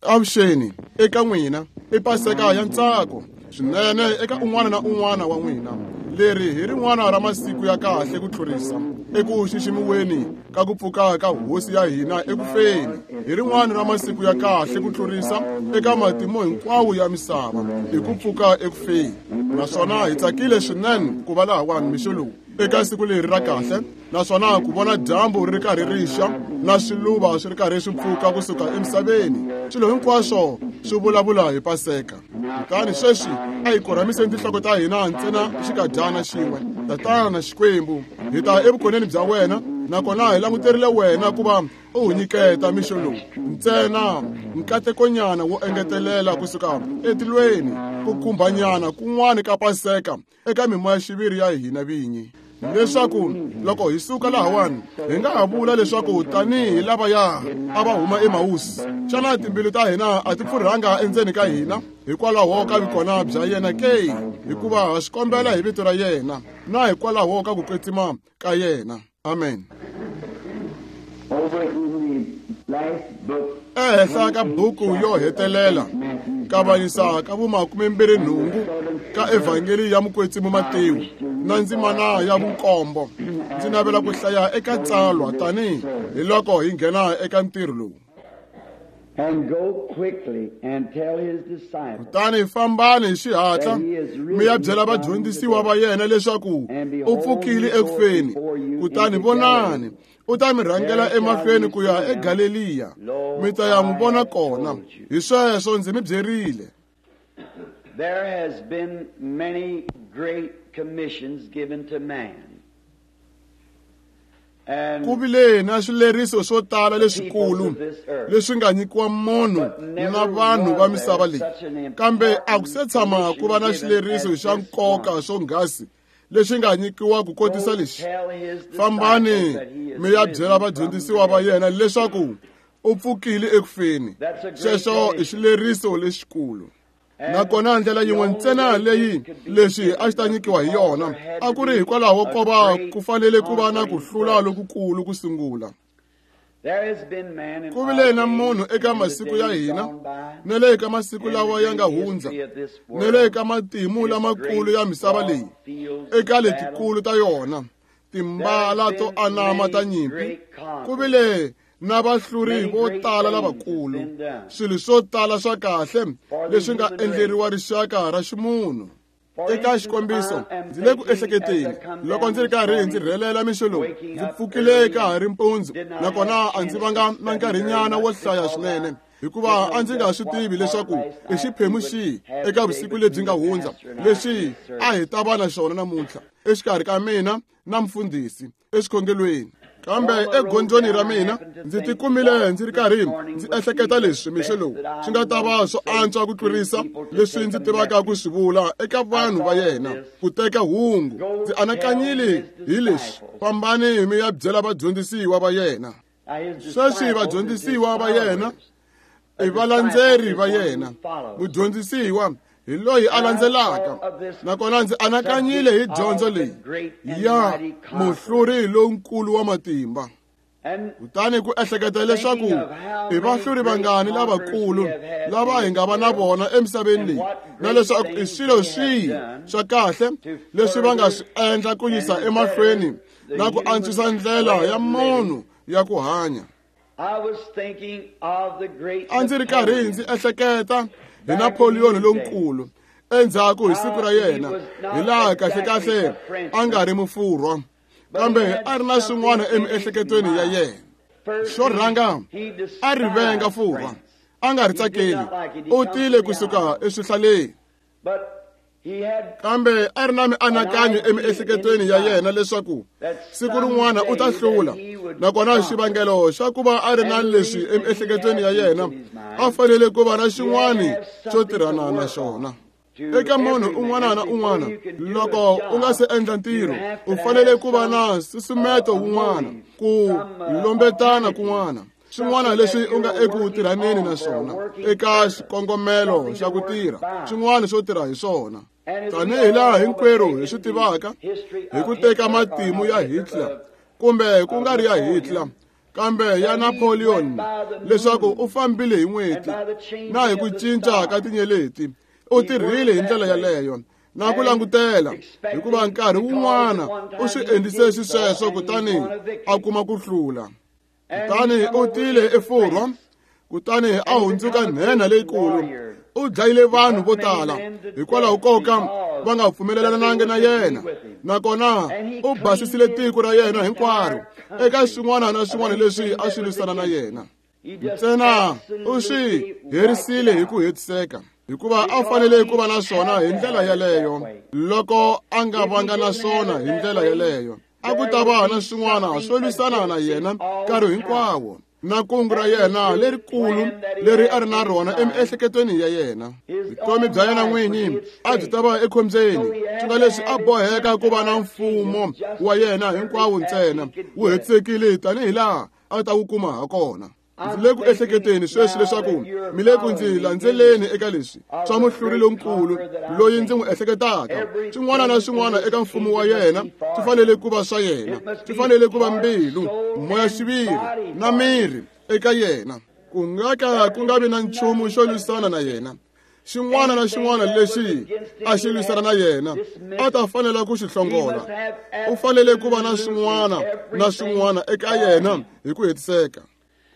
Avuxeni eka n'wina i Paseka ya ntsako swinene eka un'wana na un'wana wa n'wina. Leri hi rin'wana ra masiku ya kahle ku tlurisa eku xiximiweni ka ku pfuka ka Hosi ya hina eku feni. Hi rin'wana ra masiku ya kahle ku tlurisa eka matimu hinkwawo ya misava hi ku pfuka eku feni. Naswona hi tsakile swinene ku va lahawani mixo lowu eka siku leri ra kahle naswona ku vona dyambu ri ri karhi ri xa na swiluva swi ri karhi swi pfuka kusuka emisaveni. Swilo hinkwaswo swi vulavula hi Paseka. Kutani sweswi a hi korhamiseni tinhloko ta hina ntsena xikadyana xin'we. Tatana Xikwembu, hi ta evukoneni bya wena, nakona hi languterile wena ku va u hi nyiketa mixo lowu ntsena nkatekonyana wo engetelela kusuka etilweni, ku khumbanyana kun'wana ka Paseka eka mimoya-xiviri ya hina vinyi, leswaku loko hi suka lahawani hi nga ha vula leswaku tanihi lavaya a va huma eMawusi, xana timbilu ta hina a ti pfurhanga endzeni ka hina hikwalaho ka vukona bya yena ke? Hikuva ha swi kombela hi vito ra yena na hikwalaho ka ku kwetsima ka yena. Amen. Ehenhla ka buku yo hetelela, kavanyisa ka vumakumembirhinhungu ka Evhangeli ya Mukwetsimi Matewu na ndzimana ya vunkombo, ndzi navela ku hlaya eka tsalwa tanihi hi loko hi nghena eka ntirho lowu. Kutani fambani hi xihatla mi ya byela vadyondzisiwa va yena leswaku u pfukile eku feni, kutani vonani, u ta mi rhangela emahlweni ku ya eGaleliya, mi ta ya n'wi vona kona. Hi sweswo ndzi mi byerile. There has been many great commissions given to man. Ku vile na swileriso swo tala leswikulu leswi nga nyikiwa munhu na vanhu va misava leyi, kambe a ku se tshama ku va na xileriso xa nkoka swonghasi lexi nga nyikiwa ku kotisa lexi: fambani mi ya byela vadyondzisiwa va yena leswaku u pfukile eku feni. Xexo i xileriso lexikulu. Nakona ndlela yin'we ntsena leyi leswi a xi ta nyikiwa hi yona a ku ri hikwalaho ko va ku fanele ku va na ku hlula lokukulu ku sungula. Ku vile na munhu eka masiku ya hina, na le ka masiku lawa ya nga hundza, na le ka matimu lamakulu ya misava leyi, eka letikulu ta yona timbala to anama ta nyimpi, ku vile na vahluri vo tala lavakulu, swilo swo tala swa kahle leswi nga endleriwa rixaka ra ximunhu. Eka xikombiso, ndzi le ku ehleketeni loko ndzi ri karhi ndzi rhelela mixo lowu, ndzi pfukile ka ha ri mpundzu, nakona a ndzi vanga na nkarhinyana wo hlaya swinene, hikuva a ndzi nga swi tivi leswaku i xiphemu xihi eka vusiku lebyi nga hundza lexi a hi ta va na xona namuntlha exikarhi ka mina na mufundhisi exikhongelweni. Kambe egondzweni ra mina ndzi tikumile ndzi ri karhi ndzi ehleketa leswi mixo lowu swi nga ta va swo antswa ku tlurisa leswi ndzi tivaka ku swi vula eka vanhu va yena ku teka hungu. Ndzi anakanyile hi leswi: fambani mi ya byela vadyondzisiwa va yena. Sweswi vadyondzisiwa va yena i valandzeri va yena. Mudyondzisiwa hi loyi a landzelaka. Nakona ndzi anakanyile hi dyondzo leyi ya muhluri lonkulu wa matimba. Kutani ku ehleketa leswaku i vahluri vangani lavakulu lava hi nga va na vona emisaveni leyi, na leswaku i swilo swihi swa kahle leswi va nga swi endla ku yisa emahlweni na ku antswisa ndlela ya munhu ya ku hanya. A ndzi ri karhi ndzi ehleketa hi Napoleon lonkulu endzhaku hi siku ra yena, hi laha kahle-kahle a nga ri mufurwa, kambe a ri na swin'wana emiehleketweni ya yena. Xo rhanga, a ri venga Furwa, a nga ri tsakeli, u tile kusuka eswihlaleni. Kambe a ri na mianakanyo emiehleketweni ya yena leswaku siku rin'wana u ta hlula, nakona xivangelo xa ku va a ri na leswi emiehleketweni ya yena, a fanele ku va na xin'wana xo tirhana na xona. Eka munhu un'wana na un'wana, loko u nga se endla ntirho, u fanele ku va na nsusumeto wun'wana, ku lombetana kun'wana, swin'wana leswi u nga eku tirhaneni na swona eka xikongomelo xa ku tirha, swin'wana swo tirha hi swona. Tanihi laha hinkwerhu hi swi tivaka hi ku teka matimu ya Hitler, kumbe ku nga ri ya Hitler, Kambe ya Napoleon leswaku u fambile hi n'weti na hi ku cinca ka tinyeleti, u tirhile hi ndlela yaleyo na ku langutela, hikuva nkarhi wun'wana u swi endlise xisweswo kutani a kuma ku hlula. Kutani u tile eFurwa, kutani a hundzuka nhenha leyikulu. U dlayile vanhu vo tala hikwalaho ko ka va nga pfumelelananga na yena, nakona u basisile tiko ra yena hinkwaro eka swin'wana na swin'wana leswi a swi lwisana na yena. Ntsena u swi herisile hi ku hetiseka, hikuva a fanele ku va na swona hi ndlela yaleyo. Loko a nga vanga na swona hi ndlela yaleyo, a ku ta va na swin'wana swo lwisana na yena nkarhi hinkwawo, na kungu ra yena lerikulu leri a ri na rona emiehleketweni ya yena. Vutomi bya yena n'winyi a byi ta va ekhombyeni, swi nga leswi a boheka ku va na mfumo wa yena hinkwawo ntsena wu hetisekile tanihi laha a ta wu kuma ha kona. Ndzi le ku ehleketeni sweswi leswaku mi le ku ndzi landzeleni eka leswi swa muhluri lonkulu loyi ndzi n'wi ehleketaka. Swin'wana na swin'wana eka mfumo wa yena swi fanele ku va swa yena, swi fanele ku va mbilu, moya-xiviri na miri eka yena. Ku nga ka ku nga vi na nchumu xo lwisana na yena. Xin'wana na xin'wana lexi a xi lwisana na yena a ta fanela ku xi hlongola. U fanele ku va na swin'wana na swin'wana eka yena hi ku hetiseka.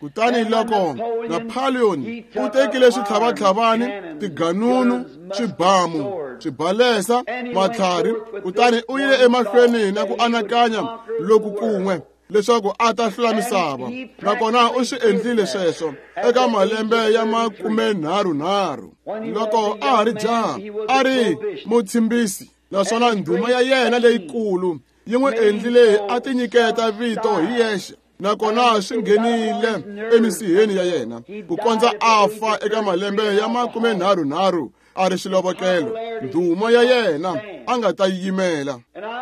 Kutani loko Napoleon u tekile switlhavatlhavani, tiganunu, swibamu, swibalesa, matlhari, kutani u yile emahlweni na ku anakanya loku kun'we leswaku a ta hlula misava, nakona u swi endlile sweswo eka malembe ya 33. Loko a ha ri jaha, a ri mutshimbisi, naswona ndhuma ya yena leyikulu yi n'wi endlile a tinyiketa vito hi yexe, nakona swi nghenile emisiheni ya yena ku kondza a fa eka malembe ya 33 a ri xilovekelo. Ndhuma ya yena a nga ta yimela.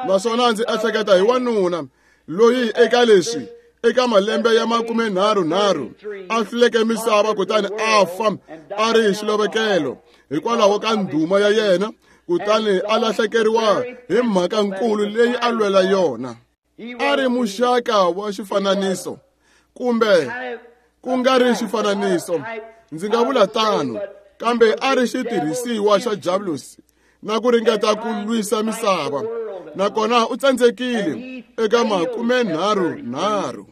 Naswona ndzi ehleketa hi wanuna loyi eka leswi eka malembe ya 33 a hluleke misava kutani a fa a ri xilovekelo hikwalaho ka ndhuma ya yena, kutani a lahlekeriwa hi mhaka nkulu leyi a lwela yona. A ri muxaka wa xifananiso, kumbe ku nga ri xifananiso, ndzi nga vula tano, kambe a ri xitirhisiwa xa Diablosi na ku ringeta ku lwisa misava, nakona u tsandzekile eka 33.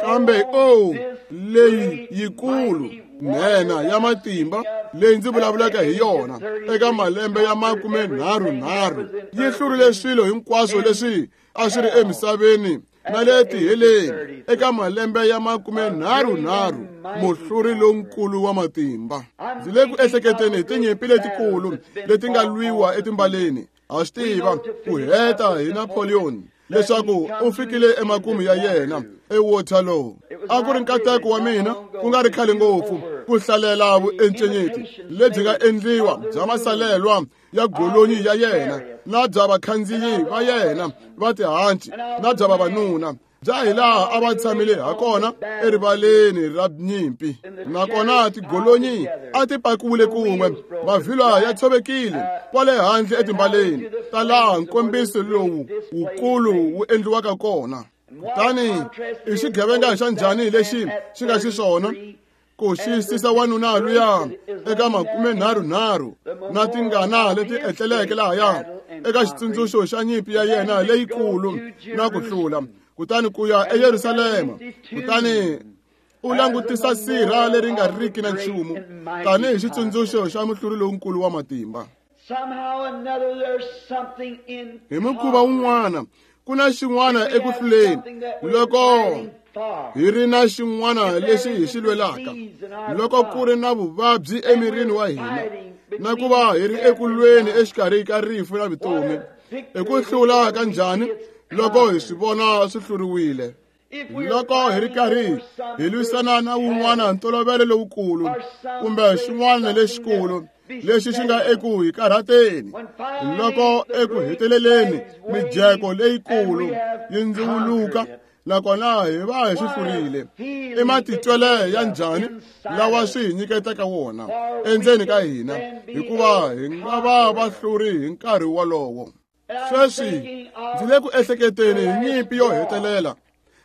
Kambe o leyi yikulu nhenha ya matimba leyi ndzi vulavulaka hi yona eka malembe ya 33 yi hlurile swilo hinkwaswo leswi a swi ri emisaveni na le tiheleni eka malembe ya 33, muhluri lonkulu wa matimba. Ndzi le ku ehleketeni hi tinyimpi letikulu leti nga lwiwa etimbaleni. Ha swi tiva ku heta hi Napoleon leswaku u fikile emakumu ya yena eWaterloo. A ku ri nkateko wa mina ku nga ri khale ngopfu ku hlalela vuencenyeti lebyi nga endliwa bya masalelwa ya golonyi ya yena na bya vakhandziyi va yena va tihanci na bya vavanuna bya hilaha a va tshamile ha kona erivaleni ra nyimpi. Nakona tigolonyi a ti pakiwile kun'we, mavhilwa ya tshovekile kwale handle etimbaleni ta laha nkombiso lowu wukulu wu endliwaka kona. Kutani i xigevenga xa njhani lexi xi nga xiswona ku xiyisisa wanuna luya eka 33 na tingana leti etleleke lahaya eka xitsundzuxo xa nyimpi ya yena leyikulu na ku hlula, kutani ku ya eYerusalema, kutani u langutisa sirha leri nga riki na nchumu tanihi xitsundzuxo xa muhluri lonkulu wa matimba. Hi mukhuva wun'wana ku na xin'wana eku hluleni loko hi ri na xin'wana lexi hi xi lwelaka, loko ku ri na vuvabyi emirini wa hina na ku va hi ri eku lweni exikarhi ka rifu na vutomi. I ku hlula ka njhani loko hi swi vona swi hluriwile? Loko hi ri karhi hi lwisana na wun'wana ntolovelo lowukulu kumbe xin'wana lexikulu lexi xi nga eku hi karhateni, loko eku heteleleni mijeko leyikulu yi ndziwuluka nakona hi va hi swi hlurile, i matitwele ya njhani lawa swi hi nyiketaka wona endzeni ka hina, hikuva hi nga va vahluri hi nkarhi wolowo. Sweswi ndzi le ku ehleketeni hi nyimpi yo hetelela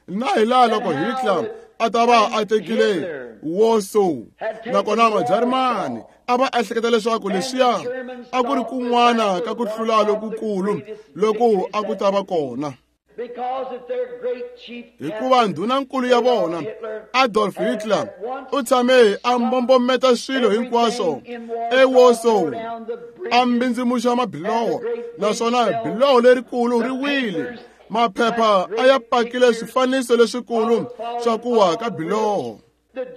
na hi laha loko Hitler a a ta va a tekile Warsaw, nakona Majarimani a va ehleketa leswaku leswiya a ku ri kun'wana ka ku hlula lokukulu loku a ku ta va kona. Hikuva ndhunankulu ya vona Adolf Hitler u tshame a mbombometa swilo hinkwaswo eWarsaw, a mbindzimuxa mabiloho, naswona biloho lerikulu ri wile. Maphepha a ya pakile swifaniso leswikulu swa ku wa ka biloho.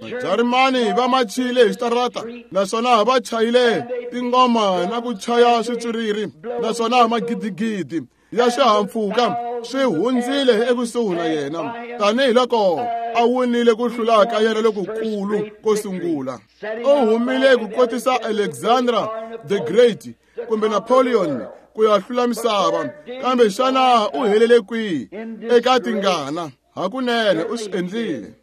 Majarimani va machile hi xitarata, naswona va chayile tingoma na ku chaya switswiriri, naswona magidigidi ya swihahampfhuka swi hundzile ekusuhi na yena tanihiloko a winile ku hlula ka yena lokukulu ko sungula. U humile ku kotisa Alexander the Great kumbe Napoleon ku ya hlula misava, kambe xana u helele kwihi? Eka tingana. Hakunene u swi endlile.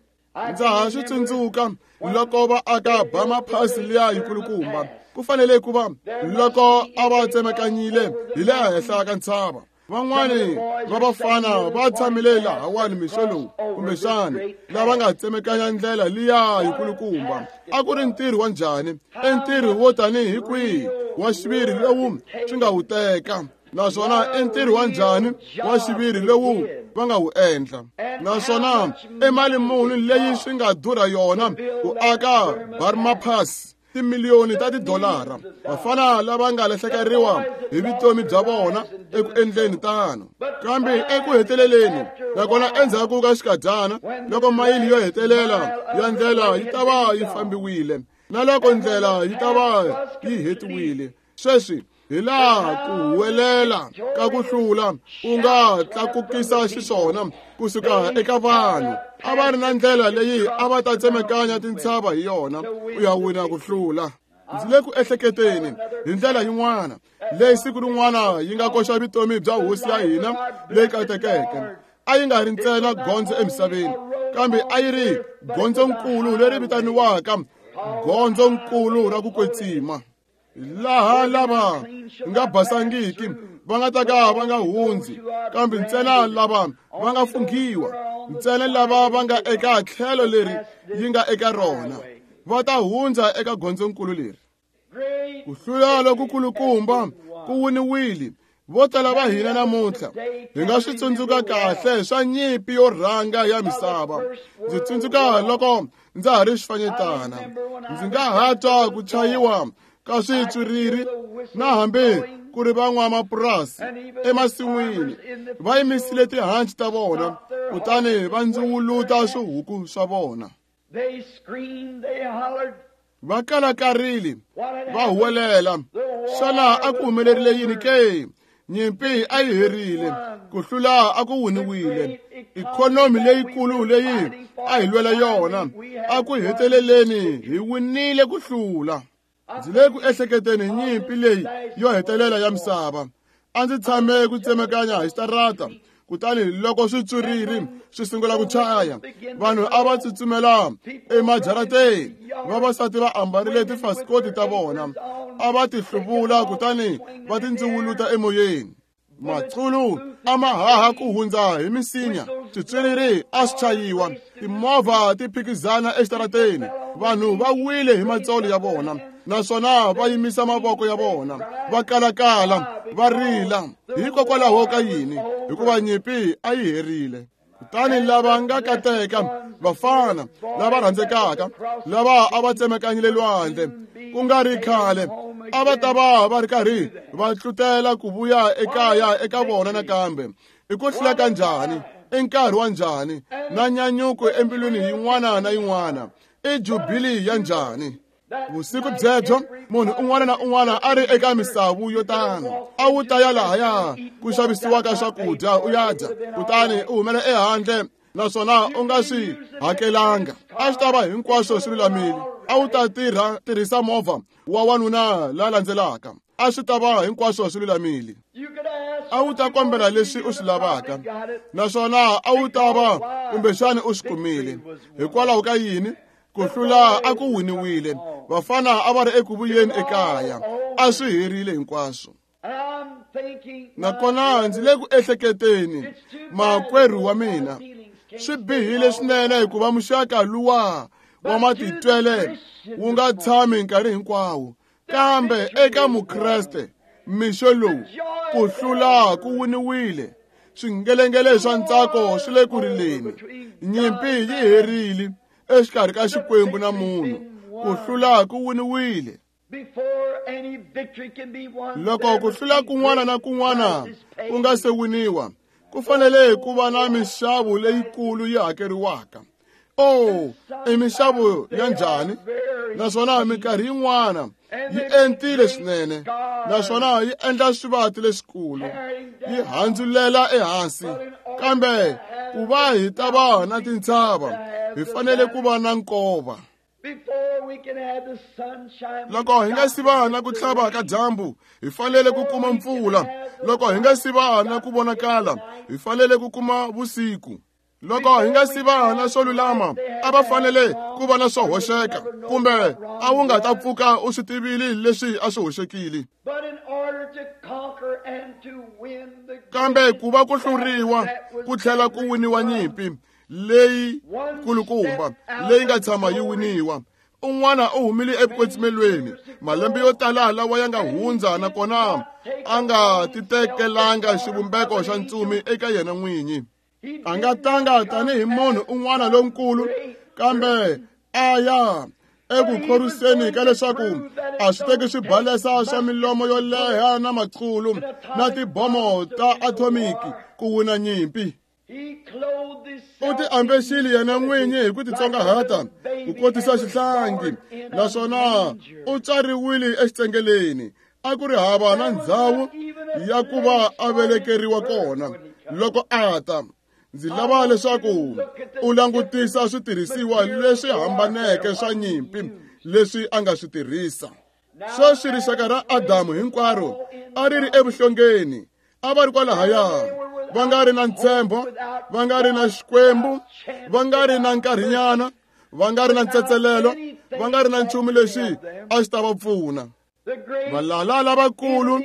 Ndza ha swi tsundzuka loko va aka Bama Pass liya yikulukumba, ku fanele ku va loko a va tsemakanyile hi le henhla ka ntshava. Van'wani va vafana va tshamile lahawani mixo lowu, kumbexani lava nga tsemekanya ndlela liya yikulukumba. A ku ri ntirho wa njhani? I ntirho wo tanihi kwihi wa xiviri lowu swi nga wu teka? Naswona i ntirho wa njhani wa xiviri lowu va nga wu endla? Naswona i mali muni leyi swi nga durha yona ku aka Burma Pass? Timiliyoni ta tidolara. Vafana lava nga lahlekeriwa hi vutomi bya vona eku endleni tano. Kambe eku heteleleni, nakona endzhaku ka xikadyana, loko mayili yo hetelela ya ndlela yi ta va yi fambiwile, na loko ndlela yi ta va yi hetiwile, sweswi hi laha ku huwelela ka ku hlula ku nga tlakukisa xiswona kusuka eka vanhu. A va ri na ndlela leyi a va ta tsemekanya tintshava hi yona ku ya wina ku hlula. Ndzi le ku ehleketeni hi ndlela yin'wana leyi siku rin'wana yi nga koxa vutomi bya hosi ya hina leyi katekeke. A yi nga ri ntsena gondzo emisaveni, kambe a yi ri gondzonkulu leri vitaniwaka gondzonkulu ra ku kwetsima, laha lava nga basangiki va nga ta ka va nga hundzi, kambe ntsena lava va nga funghiwa, ntsena lava va nga eka tlhelo leri yi nga eka rona, va ta hundza eka gondzonkulu leri. Ku hlula lokukulukumba ku winiwile. Vo tala va hina namuntlha hi nga swi tsundzuka kahle swa nyimpi yo rhanga ya misava. Ndzi tsundzuka loko ndza ha ri xifanyetana, ndzi nga ha twa ku chayiwa ka switswiriri, na hambi ku ri van'wamapurasi emasin'wini va yimisile tihanci ta vona kutani va ndziwuluta swihuku swa vona. Va kalakarile, va huwelela. Xana a ku humelerile yini ke? Nyimpi a yi herile, ku hlula a ku winiwile. Ikhonomi leyikulu leyi a hi lwela yona, a ku heteleleni hi winile ku hlula. Ndzi le ku ehleketeni nyimpi leyi yo hetelela ya misava. A ndzi tshame ku tsemekanya hi xitarata, kutani loko switswiriri swi sungula ku chaya, vanhu a va tsutsumela emajarateni. Vavasati va ambarile tifasikoti ta vona, a va ti hluvula kutani va ti ndziwuluta emoyeni. Maculu a ma haha ku hundza hi misinya, switswiriri a swi chayiwa, timovha ti phikizana exitarateni. Vanhu va wile hi matsolo ya vona, naswona va yimisa mavoko ya vona, va kalakala, va rila. Hikokwalaho ka yini? Hikuva nyimpi a yi herile. Kutani lava nga kateka, vafana lava rhandzekaka, lava a va tsemekanyile lwandle ku nga ri khale, a va ta va va ri karhi va tlutela ku vuya ekaya eka vona nakambe. I ku hlula ka njhani? I nkarhi wa njhani? Na nyanyuko embilwini yin'wana na yin'wana. I jubili ya njhani? Vusiku byebyo munhu un'wana na un'wana a ri eka misavu yo tano, a wu ta ya lahaya ku xavisiwaka swakudya u ya dya, kutani u humela ehandle naswona u nga swi hakelanga. A swi ta va hinkwaswo swi lulamile. A wu ta tirhisa movha wa wanuna la landzelaka. A swi ta va hinkwaswo swi lulamile. A wu ta kombela leswi u swi lavaka, naswona a wu ta va kumbexani u swi kumile. Hikwalaho ka yini? Ku hlula a ku winiwile. Vafana a va ri eku vuyeni ekaya. A swi herile hinkwaswo. Nakona ndzi le ku ehleketeni, makwerhu wa mina, Swi bihile swinene hikuva muxaka luwa wa matitwele wu nga tshami nkarhi hinkwawo, kambe eka Mukreste mixo lowu ku hlula ku winiwile. Swingelengele swa ntsako swi le ku rileni. Nyimpi yi herile exikarhi ka Xikwembu na munhu. Ku hlula ku winiwile. Loko ku hlula kun'wana na kun'wana ku nga se winiwa, ku fanele ku va na minxavo leyikulu yi hakeriwaka. Oh, i minxavo ya njhani? Naswona minkarhi yin'wana yi entile swinene, naswona yi endla swivati leswikulu, yi handzulela ehansi. Kambe ku va hi ta va na tintshava, hi fanele ku va na nkova. Loko hi nga si va na ku tlhava ka dyambu, hi fanele ku kuma mpfula. Loko hi nga si va na ku vonakala, hi fanele ku kuma vusiku. Loko hi nga si va na swo lulama, a va fanele ku va na swo hoxeka, kumbe a wu nga ta pfuka u swi tivile leswi a swi hoxekile. Kambe ku va ku hluriwa ku tlhela ku winiwa nyimpi leyi kulukumba leyi nga tshama yi winiwa. Un'wana u humile evukwetsimeni malembe yo tala lawa ya nga hundza, nakona a nga titekelanga xivumbeko xa ntsumi eka yena n'winyi. A nga tanga tanihi munhu un'wana lonkulu, kambe a ya eku khorwiseni ka leswaku a swi teki swibalesa swa milomo yo leha na maqulu na tibomo ta athomiki ku wina nyimpi. U ti ambexile yena n'winyi hi ku titsongahata ku kotisa xihlangi, naswona u tswariwile exitsengeleni. A ku ri hava na ndhawu ya ku va a velekeriwa kona loko a ta. Ndzi lava leswaku u langutisa switirhisiwa leswi hambaneke swa nyimpi leswi a nga swi tirhisa. Sweswi rixaka ra Adamu hinkwaro a ri ri evuhlongeni, a va ri kwalahaya, va nga ri na ntshembo, va nga ri na Xikwembu, va nga ri na nkarhinyana, va nga ri na ntsetselelo, va nga ri na nchumu lexi a xi ta va pfuna. Valala lavakulu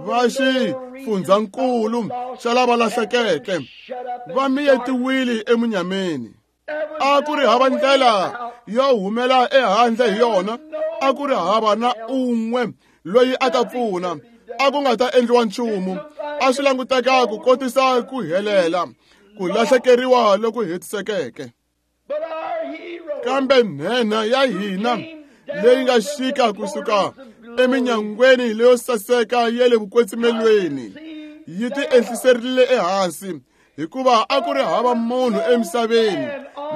va xifundzankulu xa lava lahlekeke va miyetiwile emunyameni. A ku ri hava ndlela yo humela ehandle hi yona, a ku ri hava na un'we loyi a ta pfuna, a ku nga ta endliwa nchumu. A swi languteka ku kotisa ku helela, ku lahlekeriwa loku hetisekeke. Kambe nhenha ya hina leyi nga xika kusuka eminyangweni leyo saseka ya le vukwetsimelweni yi ti ehliserile ehansi, hikuva a ku ri hava munhu emisaveni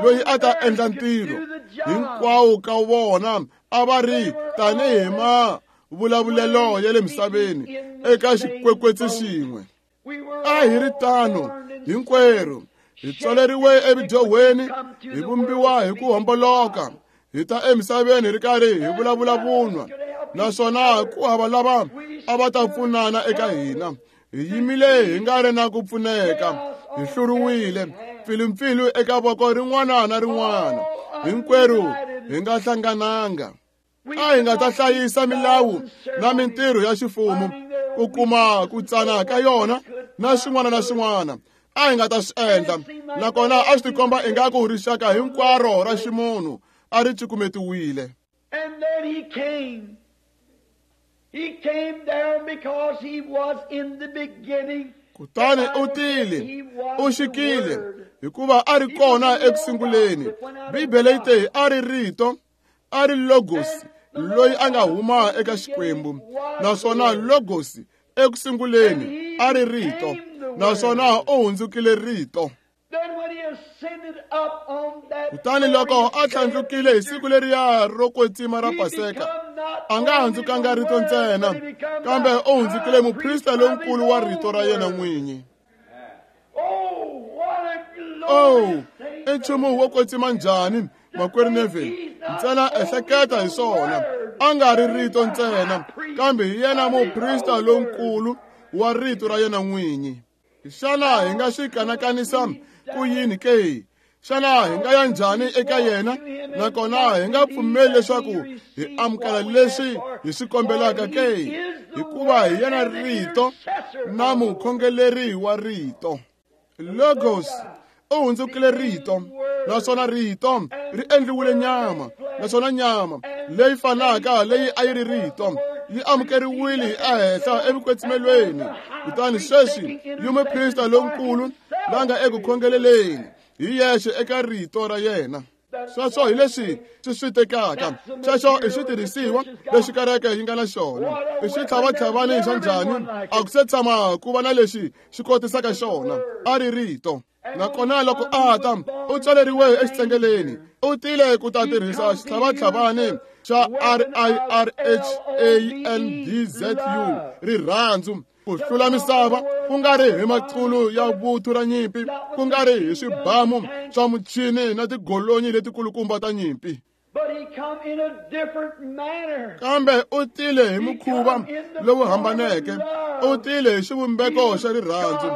loyi a ta endla ntirho. Hinkwawo ka vona a va ri tanihi mavulavulelo ya le misaveni eka xikwekwetsi xin'we. A hi ri tano hinkwerhu, hi tswaleriwe evudyohweni, hi vumbiwa hi ku homboloka, hi ta emisaveni hi ri karhi hi vulavula vunwa, naswona ku hava lava a va ta pfunana eka hina. Hi yimile hi nga ri na ku pfuneka, hi hluriwile mpfilumpfilu eka voko rin'wana na rin'wana. Hinkwerhu hi nga hlangananga. A hi nga ta hlayisa milawu na mintirho ya xifumo ku kuma ku tsana ka yona na swin'wana na swin'wana. A hi nga ta swi endla, nakona a swi tikomba ingaku rixaka hinkwaro ra ximunhu a ri cukumetiwile. And then he came. He came down because he was in the beginning. Kutani u tile, u xikile, hikuva a ri kona ekusunguleni. Bibele yi te a ri rito, a ri logos loyi a nga huma eka Xikwembu, naswona logos ekusunguleni a ri rito, naswona u hundzukile rito. Kutani loko a tlhandlukile hi siku leriya ro kwetsima ra Paseka, a nga hundzukanga rito ntsena, kambe u hundzukile muprista lonkulu wa rito ra yena n'winyi. Oh, i nchumu wo kwetsima njhani, makwerhu Neville? Ntsena ehleketa hi swona. A nga ri rito ntsena, kambe hi yena muprista lonkulu wa rito ra yena n'winyi. Xana hi nga swi kanakanisa ku yini ke? Xana hi nga ya njhani eka yena, nakona hi nga pfumeli leswaku hi amukela leswi hi swi kombelaka ke? Hikuva hi yena rito na mukhongeleri wa rito. Logos U hundzukile rito, naswona rito ri endliwile nyama, naswona nyama leyi fanaka leyi a yi ri rito yi amukeriwile ehenhla evukwetsimelweni. Kutani sweswi yi muprista lonkulu la nga eku khongeleleni hi yexe eka rito ra yena. Sweswo hi leswi swi swi tekaka. Sweswo i switirhisiwa leswi kereke yi nga na xona. I xitlhavatlhavani xa njhani? A ku se tshama ku va na lexi xi kotisaka xona. A ri rito. Nakona loko a ta, u tswaleriwe exitsengeleni. U tile ku ta tirhisa xitlhavatlhavani xa RIRHANDZU, rirhandzu, ku hlula misava, ku nga ri hi maqulu ya vuthu ra nyimpi, ku nga ri hi swibamu swa muchini na tigolonyi letikulukumba ta nyimpi. Kambe u tile hi mukhuva lowu hambaneke, u tile hi xivumbeko xa rirhandzu,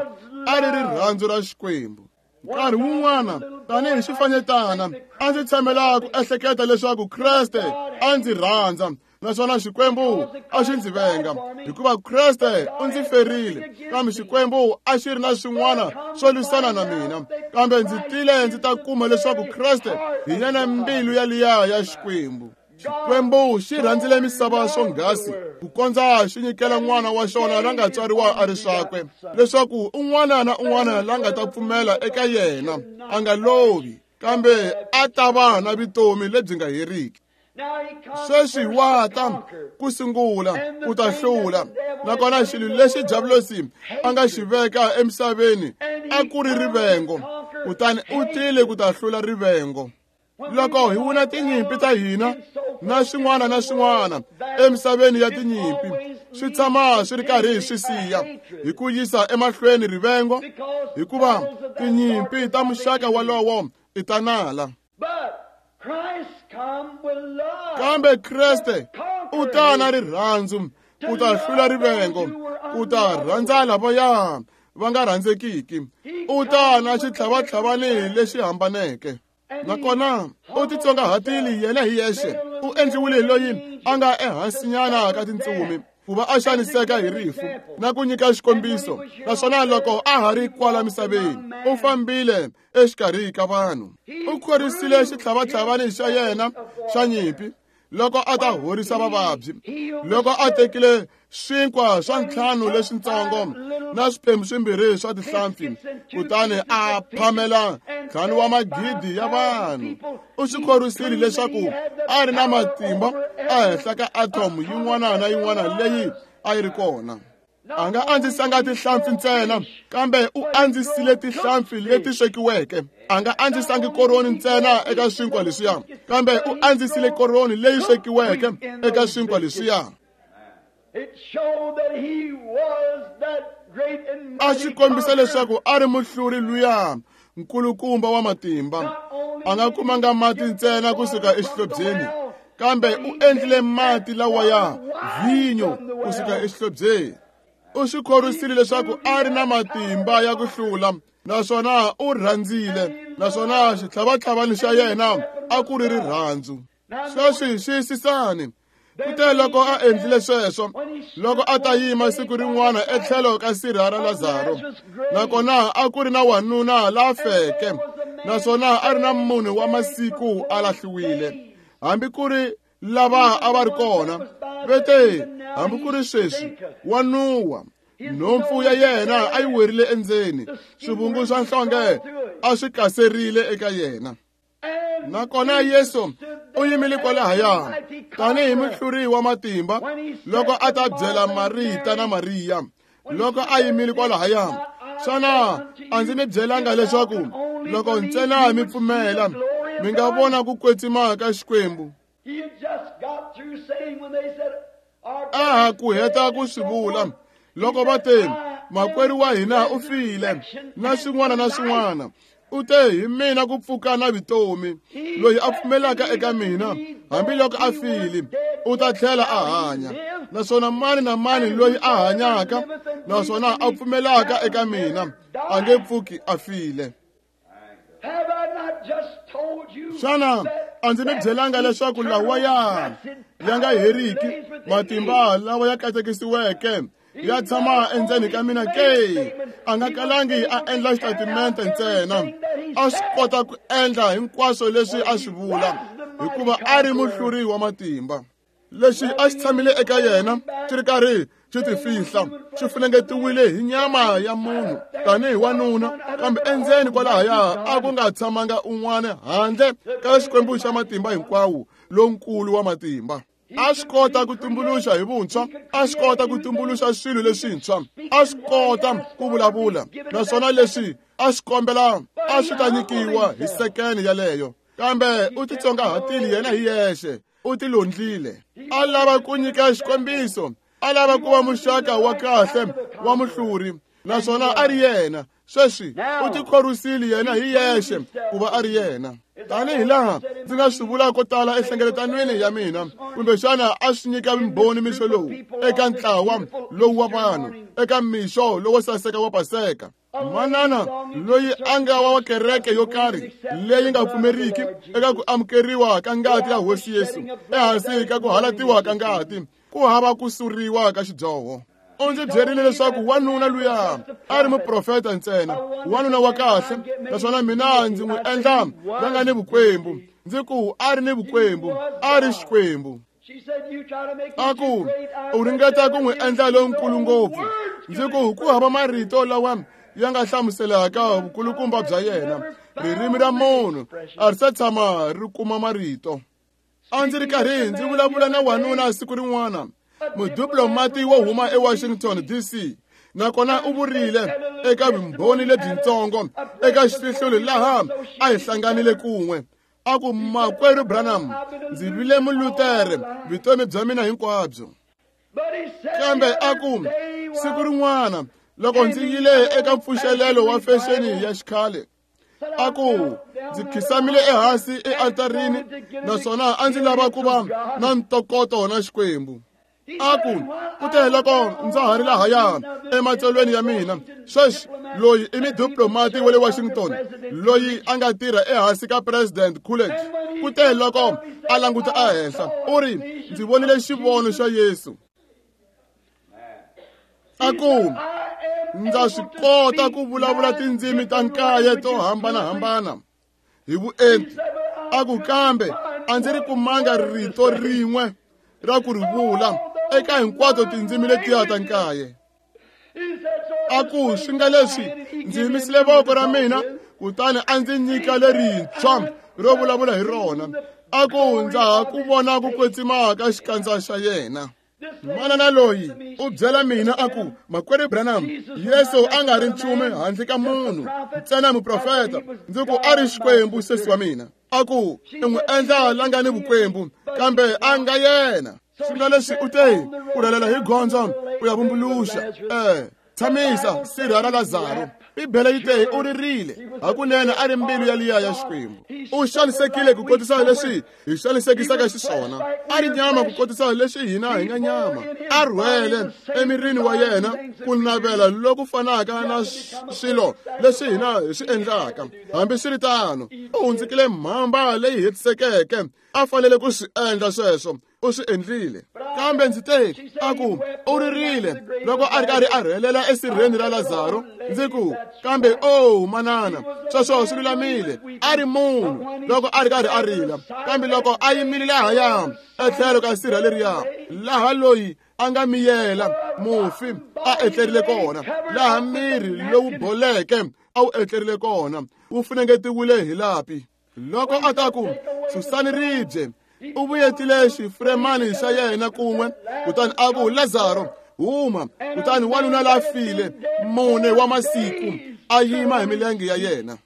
a ri rirhandzu ra Xikwembu. Nkarhi wun'wana tanihi xifanyetana a ndzi tshamela ku ehleketa leswaku Kreste a ndzi rhandza, naswona Xikwembu a xi ndzi venga, hikuva Kreste u ndzi ferile, kambe Xikwembu a xi ri na swin'wana swo lwisana na mina. Kambe ndzi tile ndzi ta kuma leswaku Kreste hi yena mbilu yaliya ya Xikwembu. Xikwembu xi rhandzile misava swonghasi ku kondza xi nyikela n'wana wa xona la nga tswariwa a ri swakwe, leswaku un'wana na un'wana la nga ta pfumela eka yena a nga lovi, kambe a ta va na vutomi lebyi nga heriki. Sweswi wa ta ku sungula ku ta hlula, nakona xilo lexi Diabolosi a nga xi veka emisaveni a ku ri rivengo, kutani u tile ku ta hlula rivengo. Loko hi wina tinyimpi ta hina na swin'wana na swin'wana emisaveni ya tinyimpi, swi tshama swi ri karhi hi swi siya hi ku yisa emahlweni rivengo, hikuva tinyimpi ta muxaka walowo i ta nala. Kambe Kreste u ta na rirhandzu ku ta hlula rivengo, ku ta rhandza lavaya va nga rhandzekiki. U ta na xitlhavatlhavani lexi hambaneke. Nakona u titsongahatile yena hi yexe, u endliwile loyi a nga ehansinyana ka tintsumi ku va a xaniseka hi rifu na ku nyika xikombiso. Naswona loko a ha ri kwala misaveni, u fambile exikarhi ka vanhu. U khorisile xitlhavatlhavani xa yena xa nyimpi loko a ta horisa vavabyi, loko a tekile swinkwa swa ntlhanu leswitsongo na swiphemu swimbirhi swa tihlampfi, kutani a phamela 5 wa magidi ya vanhu. U swi khorisile leswaku a ri na matimba ehenhla ka atom yin'wana na yin'wana leyi a yi ri kona. A nga andzisanga tihlampfi ntsena, kambe u andzisile tihlampfi leti swekiweke. A nga andzisangi koroni ntsena eka swinkwa leswiya, kambe u andzisile koroni leyi swekiweke eka swinkwa leswiya. A xi kombisa leswaku a ri muhluri luya nkulukumba wa matimba. A nga kumanga mati ntsena kusuka exihlobyeni, kambe u endlile mati lawa ya vhinyo kusuka exihlobyeni. U swi khorisile leswaku a ri na matimba ya ku hlula, naswona u rhandzile, naswona xitlhavatlhavani xa yena a ku ri rirhandzu. Sweswi xiyisisani. Kute loko a endlile sweswo, loko a ta yima siku rin'wana etlhelo ka sirha ra Lazaro, nakona a ku ri na wanuna la feke, naswona a ri na munhu wa masiku a lahliwile. Hambi ku ri lava a va ri kona vete, hambi ku ri sweswi wa nuwa, nhompfu ya yena a yi werile endzeni, swivungu swa nhlonge a swi kaserile eka yena. Nakona Yesu u yimile kwalahaya tanihi muhluri wa matimba loko a ta byela Marita na Mariya. Loko a yimile kwalahaya, xana a ndzi mi byelanga leswaku loko ntsena mi pfumela mi nga vona ku kwetsima ka Xikwembu? A ha ku heta ku swi vula loko va te, makwerhu wa hina u file, na swin'wana na swin'wana. U te, hi mina ku pfuka na vutomi, loyi a pfumelaka eka mina hambiloko a file u ta tlhela a hanya, naswona mani na mani loyi a hanyaka naswona a pfumelaka eka mina a nge pfuki a file. Xana a ndzi mi byelanga leswaku lawa ya nga heriki matimba lawa ya katekisiweke Ya tshama endzeni ka mina ke. A nga kalangi a endla xitatimente ntsena. A swi kota ku endla hinkwaswo leswi a swi vula, hikuva a ri muhluri wa matimba. Lexi a xi tshamile eka yena xi ri karhi xi tifihla, xi funengetiwile hi nyama ya munhu tanihi wanuna, kambe endzeni kwalahaya a ku nga tshamanga un'wana handle ka Xikwembu xa matimba hinkwawo, lonkulu wa matimba. A swi kota ku tumbuluxa hi vuntshwa, a swi kota ku tumbuluxa swilo leswintshwa, a swi kota ku vulavula, naswona leswi a swi kombela a swi ta nyikiwa hi sekene yaleyo. Kambe u titsongahatile yena hi yexe, u tilondlile. A lava ku nyika xikombiso, a lava ku va muxaka wa kahle wa muhluri, naswona a ri yena. Sweswi u tikhorwisile yena hi yexe ku va a ri yena. Tanihi laha ndzi nga swi vula ko tala enhlengeletanweni ya mina, kumbexana a swi nyika vumbhoni mixo lowu eka ntlawa lowu wa vanhu, eka mixo lowo saseka wa Paseka. Manana loyi a nga wa kereke yo karhi leyi nga pfumeriki eka ku amukeriwa ka ngati ya Hosi Yesu, ehansi ka ku halatiwa ka ngati, ku hava ku suriwa ka xidyoho. U ndzi byerile leswaku wanuna luya a ri muprofeta ntsena, wanuna wa kahle, naswona mina ndzi n'wi endla la nga ni vukwembu. Ndzi ku a ri ni vukwembu, a ri Xikwembu. A ku u ringeta ku n'wi endla lonkulu ngopfu. Ndzi ku ku hava marito lawa ya nga hlamuselaka vukulukumba bya yena. Ririmi ra munhu a ri se tshama ri kuma marito. A ndzi ri karhi ndzi vulavula na wanuna siku rin'wana, mudiplomati wo huma eWashington DC, nakona u vurile eka vumbhoni lebyintsongo eka xifihlulo laha a hi hlanganile kun'we. A ku, Makwerhu Branham, ndzi vile Mulutere vutomi bya mina hinkwabyo. Kambe a ku, siku rin'wana loko ndzi yile eka mpfuxelelo wa fexeni ya xikhale, a ku ndzi khisamile ehansi ealtarini, naswona a ndzi lava ku va na ntokoto na Xikwembu. A ku, kute loko ndza ha ri lahaya ematsalweni ya mina, sweswi loyi i mudiplomati wa le Washington loyi a nga tirha ehansi ka President Coolidge. Kute loko a languta ehenhla, u ri, ndzi vonile xivono xa Yesu. A ku, ndza swi kota ku vulavula tindzimi ta nkaye to hambanahambana hi vuenti. A ku, kambe a ndzi ri kumanga rito rin'we ra ku ri vula eka hinkwato tindzimi letiya ta nkaye. A ku, swi nga leswi ndzi yimisile voko ra mina, kutani a ndzi nyika lerintshwa ro vulavula hi rona. A ku, ndza ha ku vona ku kwetsima ka xikandza xa yena. Manana loyi u byela mina a ku, Makwerhu Branham, Yesu a nga ri nchumu handle ka munhu, ntsena muprofeta. Ndzi ku, a ri Xikwembu, sesi wa mina. A ku, i n'wi endla la nga ni vukwembu, kambe a nga yena. Swi nga leswi u te, u rhelela hi gondzo u ya vumbuluxa. Tshamisa sirha ra Lazaro. Bibele yi te u ririle, hakunene a ri mbilu ya liya ya Xikwembu. U xanisekile ku kotisa leswi hi xanisekisaka xiswona, a ri nyama ku kotisa leswi hina hi nga nyama. A rhwele emirini wa yena ku navela loku fanaka na swilo leswi hina hi swi endlaka. Hambiswiritano, u hundzukile mhamba leyi hetisekeke, a fanele ku swi endla sweswo. U swi endlile. Kambe ndzi te, a ku, u ririle loko a ri karhi a rhelela esirheni ra Lazaro. Ndzi ku, kambe o manana, sweswo swi lulamile. A ri munhu loko a ri karhi a rila, kambe loko a yimile lahaya etlhelo ka sirha leriya, laha loyi a nga miyela mufi a etlerile kona, laha miri lowu boleke a wu etlerile kona, wu funengetiwile hi lapi. Loko a ta ku, susani ribye, u vuyetile xifuremani xa yena kun'we, kutani a ku, Lazaro, huma. Kutani wanuna la file mune wa masiku a yima hi milenge ya yena.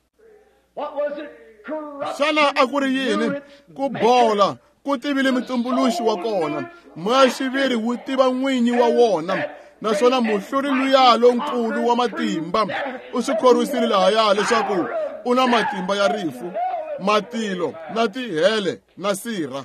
Xana a ku ri yini? Ku bola ku tivile mutumbuluxi wa kona, moya-xiviri wu tiva n'winyi wa wona, naswona muhluri luya lonkulu wa matimba u swi khorwisile lahaya leswaku u na matimba ya rifu, matilo na tihele na sirha.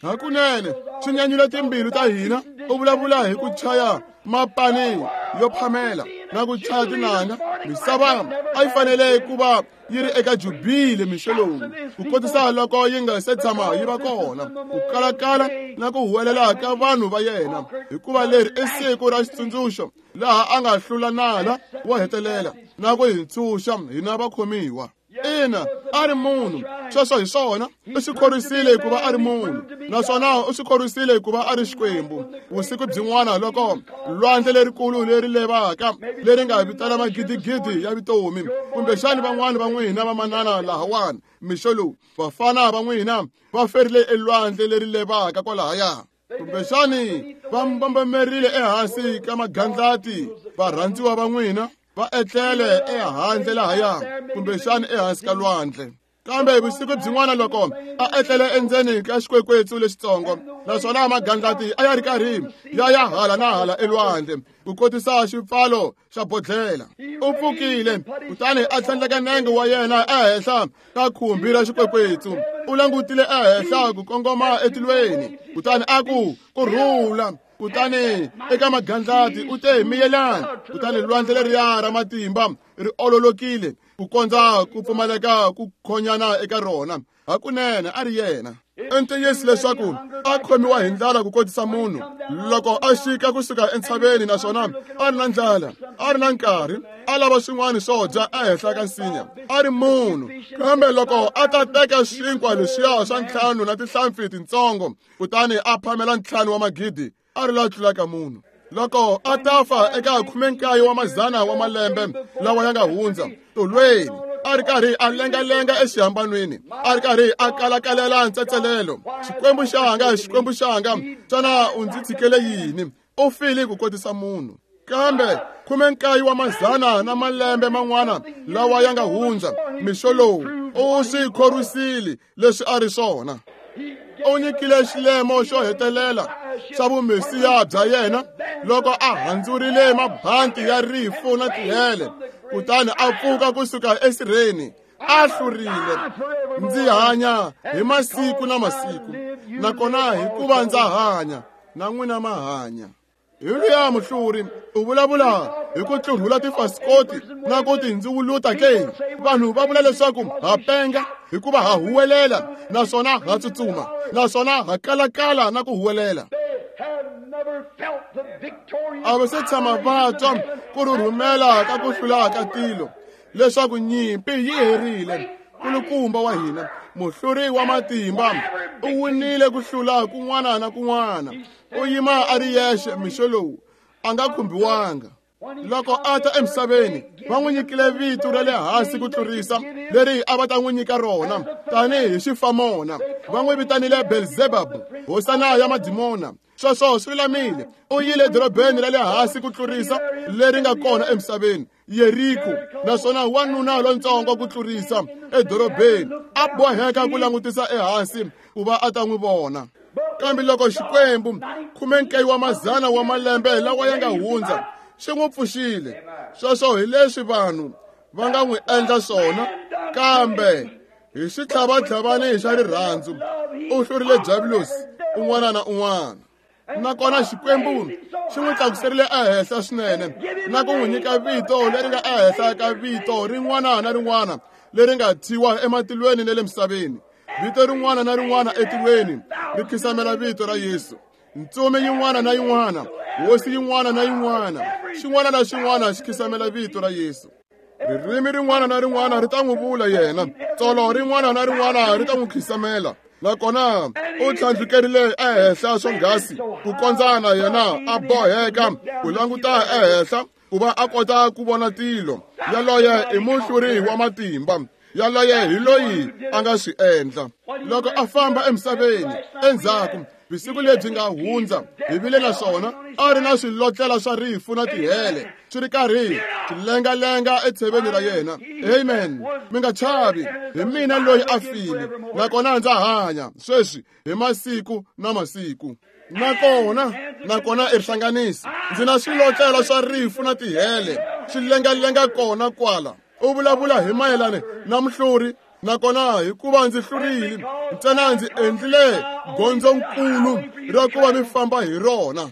Hakunene swi nyanyula timbilu ta hina. U vulavula hi ku chaya mapani yo phamela. na ku chaya tinanga. Misava a yi fanele ku va yi ri eka jubile mixo lowu, ku kotisa loko yi nga se tshama yi va kona, ku kalakala na ku huwelela ka vanhu va yena, hikuva leri i siku ra xitsundzuxo laha a nga hlula nala wo hetelela na ku hi ntshunxa hina vakhomiwa. Ina, a ri munhu, sweswo hi swona, u swi khorwisile hikuva a ri munhu, naswona u swi khorwisile hikuva a ri Xikwembu. Vusiku byin'wana loko lwandle lerikulu leri levaka leri nga vitana magidigidi ya vutomi, kumbexani van'wani va n'wina vamanana lahawani mixo lowu, vafana va n'wina va ferile elwandle leri levaka kwalahaya, kumbexani va mbambamerile ehansi ka magandlati, varhandziwa va n'wina va etlele ehandle lahaya, kumbexani ehansi ka lwandle. Kambe vusiku byin'wana loko a etlele endzeni ka xikwekwetsu lexitsongo, naswona magandlati a ya ri karhi ya ya hala na hala elwandle ku kotisa xipfalo xa bodlhela, u pfukile kutani a tlhandleka nenge wa yena ehenhla ka khumbi ra xikwekwetsu. U langutile ehenhla ku kongoma etilweni, kutani a ku, "Ku rhula." Kutani eka magandlati u te, "Miyelani." Kutani lwandle leriya ra matimba ri ololokile ku kondza ku pfumaleka ku khonyana eka rona. Hakunene a ri yena. I ntiyiso leswaku a khomiwa hi ndlala ku kotisa munhu loko a xika kusuka entshaveni, naswona a ri na ndlala, a ri na nkarhi, a lava swin'wana swo dya ehenhla ka nsinya, a ri munhu. Kambe loko a ta teka xinkwa leswiya swa 5 na tinhlampfi tintsongo, kutani a phamela 5 wa magidi, a ri la tlulaka munhu. Loko a ta fa eka 19 wa mazana wa malembe lawa ya nga hundza tolweni, a ri karhi a lengalenga exihambanweni, a ri karhi a kalakalela ntsetselelo, "Xikwembu xanga, Xikwembu xanga, xana u ndzi tshikele yini?" U file ku kotisa munhu. Kambe 19 wa mazana na malembe man'wana lawa ya nga hundza mixo lowu, u swi khorwisile leswi a ri swona. U nyikile xilemo xo hetelela xa vumesiya bya yena loko a handzurile mabanti ya rifu na tihele, kutani a pfuka kusuka esirheni, a hlurile. Ndzi hanya hi masiku na masiku, nakona hikuva ndza hanya, na n'wina ma hanya. Hi luya muhluri u vulavula hi ku tlurhula tifasikoti na ku tindziwuluta ke. Vanhu va vula leswaku ha penga hikuva ha huwelela, naswona ha tsutsuma, naswona ha kalakala na ku huwelela. A va se tshama va twa ku rhurhumela ka ku hlula ka tilo, leswaku nyimpi yi herile. Kulukumba wa hina, muhluri wa matimba, u winile ku hlula kun'wana na kun'wana. U yima a ri yexe mixo lowu, a nga khumbiwanga. Loko a ta emisaveni, va n'wi nyikile vito ra le hansi ku tlurisa leri a va ta n'wi nyika rona tanihi xifamona. Va n'wi vitanile Belzebub, hosana ya madimona. Sweswo swi lulamile. U yile edorobeni ra le hansi ku tlurisa leri nga kona emisaveni, Yeriko, naswona wanuna lontsongo ku tlurisa edorobeni a boheka ku langutisa ehansi ku va a ta n'wi vona. Kambe loko Xikwembu 19 wa mazana wa malembe lawa ya nga hundza xi n'wi pfuxile, sweswo hi leswi vanhu va nga n'wi endla swona. Kambe hi xitlhavatlhavani xa rirhandzu u hlurile Diabulosi un'wana na un'wana. Nakona Xikwembu xi n'wi tlakuserile ehenhla swinene na ku n'wi nyika vito leri nga ehenhla ka vito rin'wana na rin'wana leri nga thyiwa ematilweni na le misaveni. Vito rin'wana na rin'wana etilweni ri khisamela vito ra Yesu. Ntsumi yin'wana na yin'wana, hosi yin'wana na yin'wana, xin'wana na xin'wana xi khisamela vito ra Yesu. Ririmi rin'wana na rin'wana ri ta n'wi vula yena, tsolo rin'wana na rin'wana ri ta n'wi khisamela. Nakona u tlhandlukerile ehenhla swonghasi ku kondza na yena a boheka ku languta ehenhla ku va a kota ku vona tilo. Yaloye i muhluri wa matimba, yaloye hi loyi a nga swi endla. Loko a famba emisaveni endzhaku vusiku lebyi nga hundza, hi vile na swona, a ri na swilotlela swa rifu na tihele swi ri karhi swi lengalenga etsheveni ra yena. Amen. Mi nga chavi, hi mina loyi a file, nakona ndza hanya sweswi hi masiku na masiku. Nakona i rihlanganisi, ndzi na swilotlela swa rifu na tihele swi lengalenga kona kwala. U vulavula hi mayelana na muhluri. Nakona hikuva ndzi hlurile ntsena, ndzi endlile gondzonkulu ra ku va mi famba hi rona.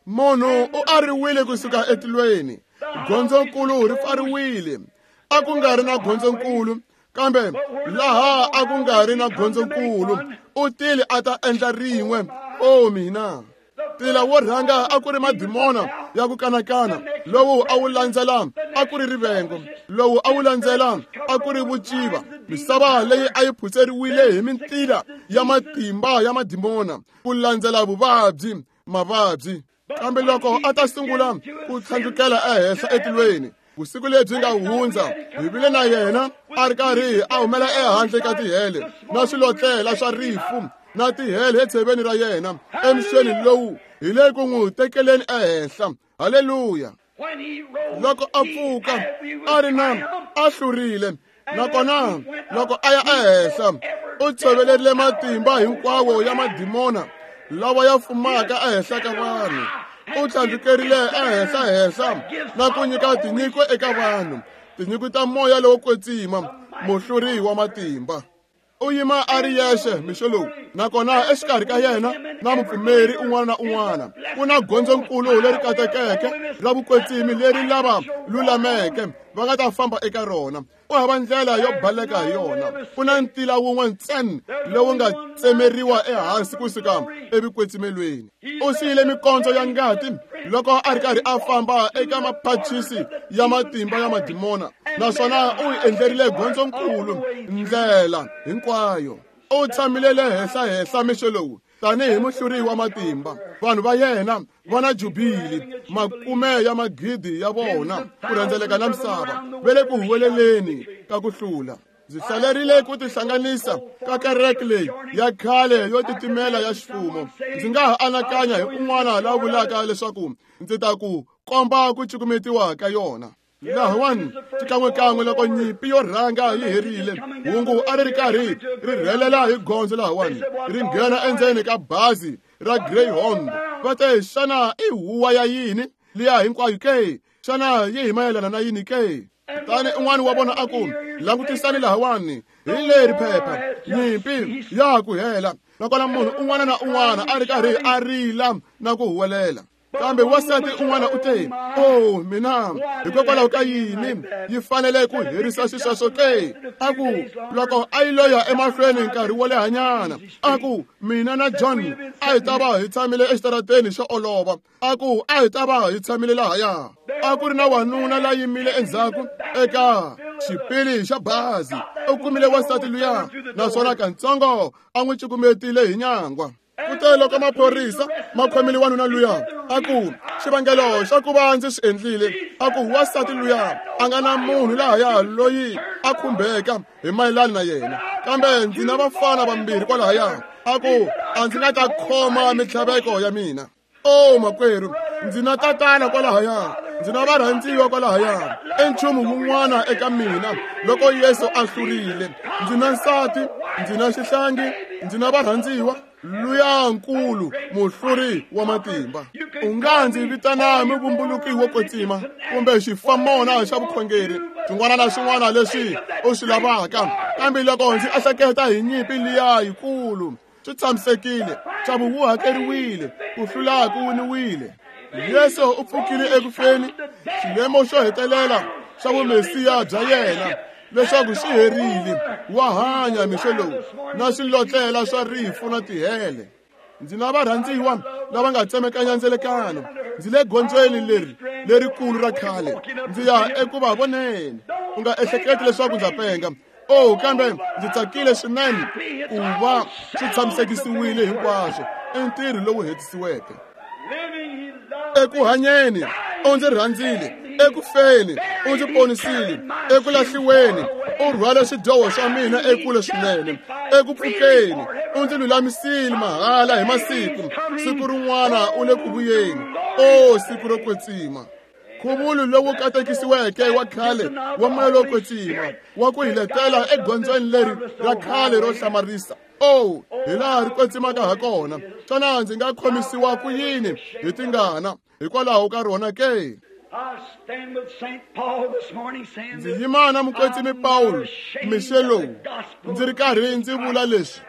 Munhu u ariwile kusuka etilweni, gondzonkulu ri pfariwile. A ku nga ri na gondzonkulu, kambe laha a ku nga ri na gondzonkulu, u tile a ta endla rin'we. O mina! Tila wo rhanga a ku ri madimona ya ku kanakana, lowu a wu landzela a ku ri rivengo, lowu a wu landzela a ku ri vuciva. Misava leyi a yi phutseriwile hi mintila ya matimba ya madimona ku landzela vuvabyi, mavabyi. Kambe loko a ta sungula ku tlhandlukela ehenhla etilweni, vusiku lebyi nga hundza hi vile na yena a ri karhi a humela ehandle ka tihele na swilotlela swa rifu na tihele etsheveni ra yena emixweni lowu hi le ku n'wi tekeleni ehenhla. Haleluya! Loko a pfuka a ri na a hlurile, nakona loko a ya ehenhla u tshovelerile matimba hinkwawo ya madimona lawa ya fumaka ehenhla ka vanhu. U tlhandlukerile ehenhla-henhla na ku nyika tinyiko eka vanhu, tinyiko ta moya lowo kwetsima, muhluri wa matimba. U yima a ri yexe mixo lowu, nakona exikarhi ka yena na mupfumeri un'wana na un'wana ku na gondzonkulu leri katekeke ra vukwetsimi leri lava lulameke va nga ta famba eka rona. Ku hava ndlela yo baleka hi yona. Ku na ntila wun'we ntsena lowu nga tsemeriwa ehansi kusuka evukwetsimelweni. U siyile mikondzo ya ngati loko a ri karhi a famba eka mapachisi ya matimba ya madimona, naswona u yi endlerile gondzonkulu ndlela hinkwayo. U tshamile le henhla-henhla mixo lowu tanihi muhluri wa matimba. Vanhu va yena va na jubili, makume ya magidi ya vona ku rhendzeleka na misava va le ku huweleleni ka ku hlula. Ndzi hlalerile ku tihlanganisa ka kereke leyi ya khale yo titimela ya xifumo. Ndzi nga ha anakanya hi un'wana la vulaka leswaku ndzi ta ku komba ku cukumetiwa ka yona. Lahawani xikan'wekan'we loko nyimpi yo rhanga yi herile, hungu a ri ri karhi ri rhelela hi gondzo lahawani ri nghena endzeni ka bazi ra Greyhound. Va te, xana i huwa ya yini liya hinkwayo ke? Xana yi hi mayelana na yini ke? Kutani un'wana wa vona a ku, langutisani lahawani, hi leri phepha, nyimpi ya ku hela. Nakona munhu un'wana na un'wana a ri karhi a rila na ku huwelela. Kambe wansati un'wana u te, o mina, hikokwalaho ka yini yi fanele ku herisa xisweswo ke? A ku, loko a yi loya emahlweni nkarhi wo lehanyana, a ku, mina na John a hi ta va hi tshamile exitarateni xo olova. A ku, a hi ta va hi tshamile lahaya. A ku ri na wanuna la yimile endzhaku eka xipili xa bazi. U kumile wansati luya, naswona katsongo a n'wi cukumetile hi nyangwa. Kute loko maphorisa ma khomile wanuna luya, a ku, xivangelo xa ku va ndzi swi endlile, a ku wansati luya a nga na munhu lahaya loyi a khumbeka hi mayelana na yena, kambe ndzi na vafana vambirhi kwalahaya. A ku, a ndzi nga ta khoma mintlhaveko ya mina. O makwerhu, ndzi na tatana kwalahaya, ndzi na varhandziwa kwalahaya, i nchumu wun'wana eka mina loko Yesu a hlurile. Ndzi na nsati, ndzi na xihlangi, ndzi na varhandziwa, luya nkulu muhluri wa matimba. U nga ndzi vitana muvumbuluki wo kwetsima kumbe xifamona xa vukhongeri, xin'wana na xin'wana leswi u swi lavaka, kambe loko ndzi ehleketa hi nyimpi liya yikulu, swi tshamisekile, nxavo wu hakeriwile, ku hlula ku winiwile. Yesu u pfukile ekufeni, xilemo xo hetelela xa vumesiya bya yena leswaku xi herile. Wa hanya mixo lowu na swilotlela swa rifu na tihele. Ndzi na varhandziwa lava nga tsemekanya ndzelekano. Ndzi le gondzweni leri lerikulu ra khale, ndzi ya eku va voneni. U nga ehleketi leswaku ndza penga. Oh, kambe ndzi tsakile swinene ku va swi tshamisekisiwile hinkwaswo, i ntirho lowu hetisiweke. Eku hanyeni u ndzi rhandzile, eku feni u ndzi ponisile, eku lahliweni u rhwale swidyoho swa mina ekule swinene, eku pfukeni u ndzi lulamisile mahala hi masiku. Siku rin'wana u le ku vuyeni. O siku ro kwetsima! Nkhuvulo lowu katekisiweke wa khale wa moya lowo kwetsima wa ku hi letela egondzweni leri ra khale ro hlamarisa. O, hi laha ri kwetsimaka ha kona! Xana ndzi nga khomisiwa ku yini hi tingana hikwalaho ka rona ke? Ndzi yima na mukwetsimi Pawulo mixo lowu, ndzi ri karhi ndzi vula leswi,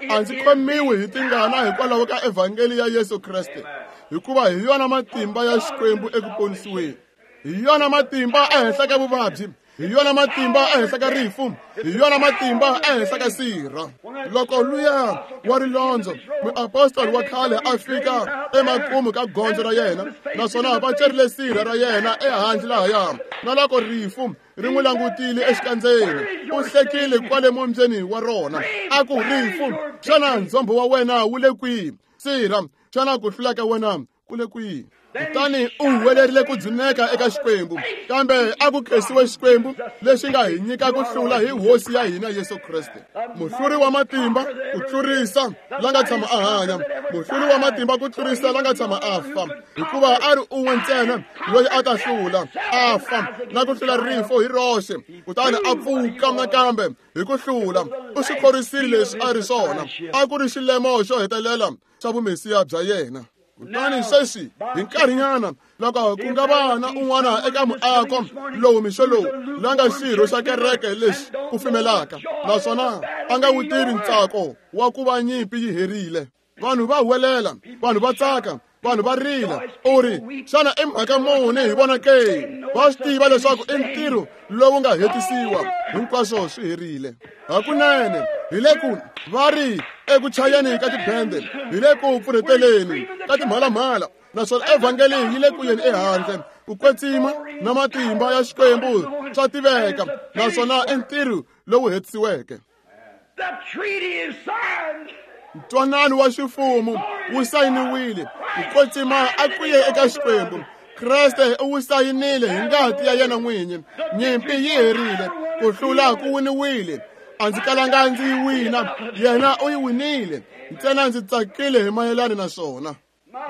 a ndzi khomiwi hi tingana hikwalaho ka evhangeli ya Yesu Kreste. hikuva hi yona matimba ya Xikwembu eku ponisiweni. Hi yona matimba ehenhla ka vuvabyi, hi yona matimba ehenhla ka rifu, hi yona matimba ehenhla ka sirha. Loko luya wa rilondzo muapostoli wa khale a fika emakumu ka gondzo ra yena, naswona va cerile sirha ra yena ehandle lahaya, na loko rifu ri n'wi langutile exikandzeni, u hlekile kwale mombyeni wa rona, a ku, rifu, xana ndzhombo wa wena wu le kwihi? Sirha, xana ku hlula ka wena ku le kwihi? Kutani u huwelerile ku dzuneka eka Xikwembu, kambe a ku khensiwe Xikwembu lexi nga hi nyika ku hlula hi Hosi ya hina Yesu Kreste. Muhluri wa matimba ku tlurisa la nga tshama a hanya, muhluri wa matimba ku tlurisa la nga tshama a fa, hikuva a ri un'we ntsena loyi a ta hlula a fa na ku hlula rifu hi roxe, kutani a pfuka nakambe hi ku hlula. U swi khorisile leswi a ri swona, a ku ri xilemo xo hetelela xa vumesiya bya yena. Kutani sweswi hi nkarhinyana loko ku nga va na un'wana eka muako lowu mixo lowu la nga xirho xa kereke lexi kufumelaka, naswona a nga wu tivi ntsako wa ku va nyimpi yi herile, vanhu va huwelela, vanhu va tsaka, vanhu va rila. U ri, xana i mhaka muni hi vona ke? Va swi tiva leswaku i ntirho lowu nga hetisiwa, hinkwaswo swi herile. Hakunene hi le ku va ri eku chayeni ka tibende, hi le ku pfurheteleni ka timhalamhala, naswona evhangeli yi le ku yeni ehandle. Ku kwetsima na matimba ya Xikwembu swa tiveka, naswona i ntirho lowu hetisiweke. Ntwanano wa xifumo wu sayiniwile, ku kwetsima a ku ye eka Xikwembu. Kreste u wu sayinile hi ngati ya yena n'winyi. Nyimpi yi herile, ku hlula ku winiwile. A ndzi kalanga ndzi yi wina, yena u yi winile. Ntsena ndzi tsakile hi mayelana na swona.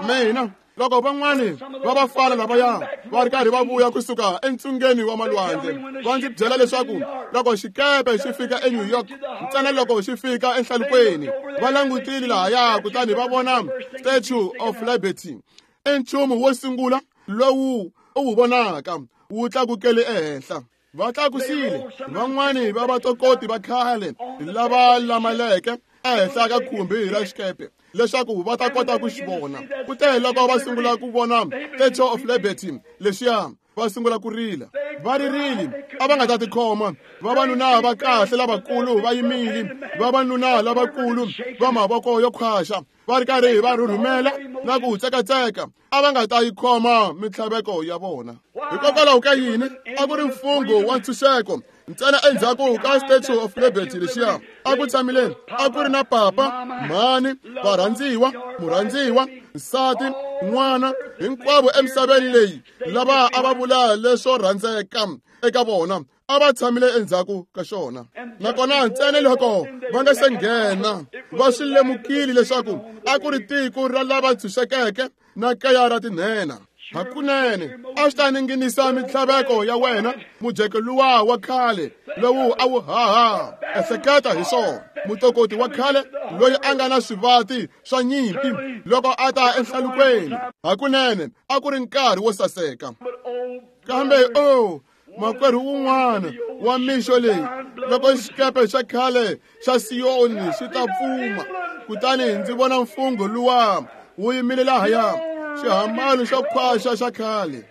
Mina loko van'wani va vafana lavaya va ri karhi va vuya kusuka entsungeni wa malwandle, va ndzi byela leswaku loko xikepe xi fika eNew York, ntsena loko xi fika enhlalukweni, va langutile lahaya kutani va vona Statue of Liberty. I nchumu wo sungula lowu u wu vonaka wu tlakukele ehenhla. Va tlakusile van'wani va vatokoti va khale lava lamaleke ehenhla ka khumbi ra xikepe leswaku va ta kota ku xi vona. Kute loko va sungula ku vona Statue of Liberty lexiya, va sungula ku rila. Va ririle, a va nga ta tikhoma. Vavanuna va kahle lavakulu va yimile, vavanuna lavakulu va mavoko yo khwaxa va ri karhi va rhurhumela na ku tsekatseka, a va nga ta yi khoma mintlhaveko ya vona. Hikokwalaho ka yini? A ku ri mfungho wa ntshunxeko. Ntsena endzhaku ka Statue of Liberty lexiya a ku tshamile, a ku ri na papa, mhani, varhandziwa, murhandziwa, nsati, n'wana, hinkwavo emisaveni leyi lava a va vula leswo rhandzeka eka vona a va tshamile endzhaku ka xona. Nakona ntsena loko va nga se nghena, va swi lemukile leswaku a ku ri tiko ra lava ntshunxekeke na kaya ra tinhenha. Hakunene a swi ta ninginisa mintlhaveko ya wena, mujeko luwa wa khale lowu a wu haha. Ehleketa hi swona, mutokoti wa khale loyi a nga na swivati swa nyimpi loko a ta enhlalukweni. Hakunene a ku ri nkarhi wo saseka. Kambe o makwerhu wun'wana wa mixo leyi, loko xikepe xa khale xa Siyoni xi ta pfuma, kutani ndzi vona mfungho luwa wu yimile lahaya, xihambano xo khwaxa xa khale.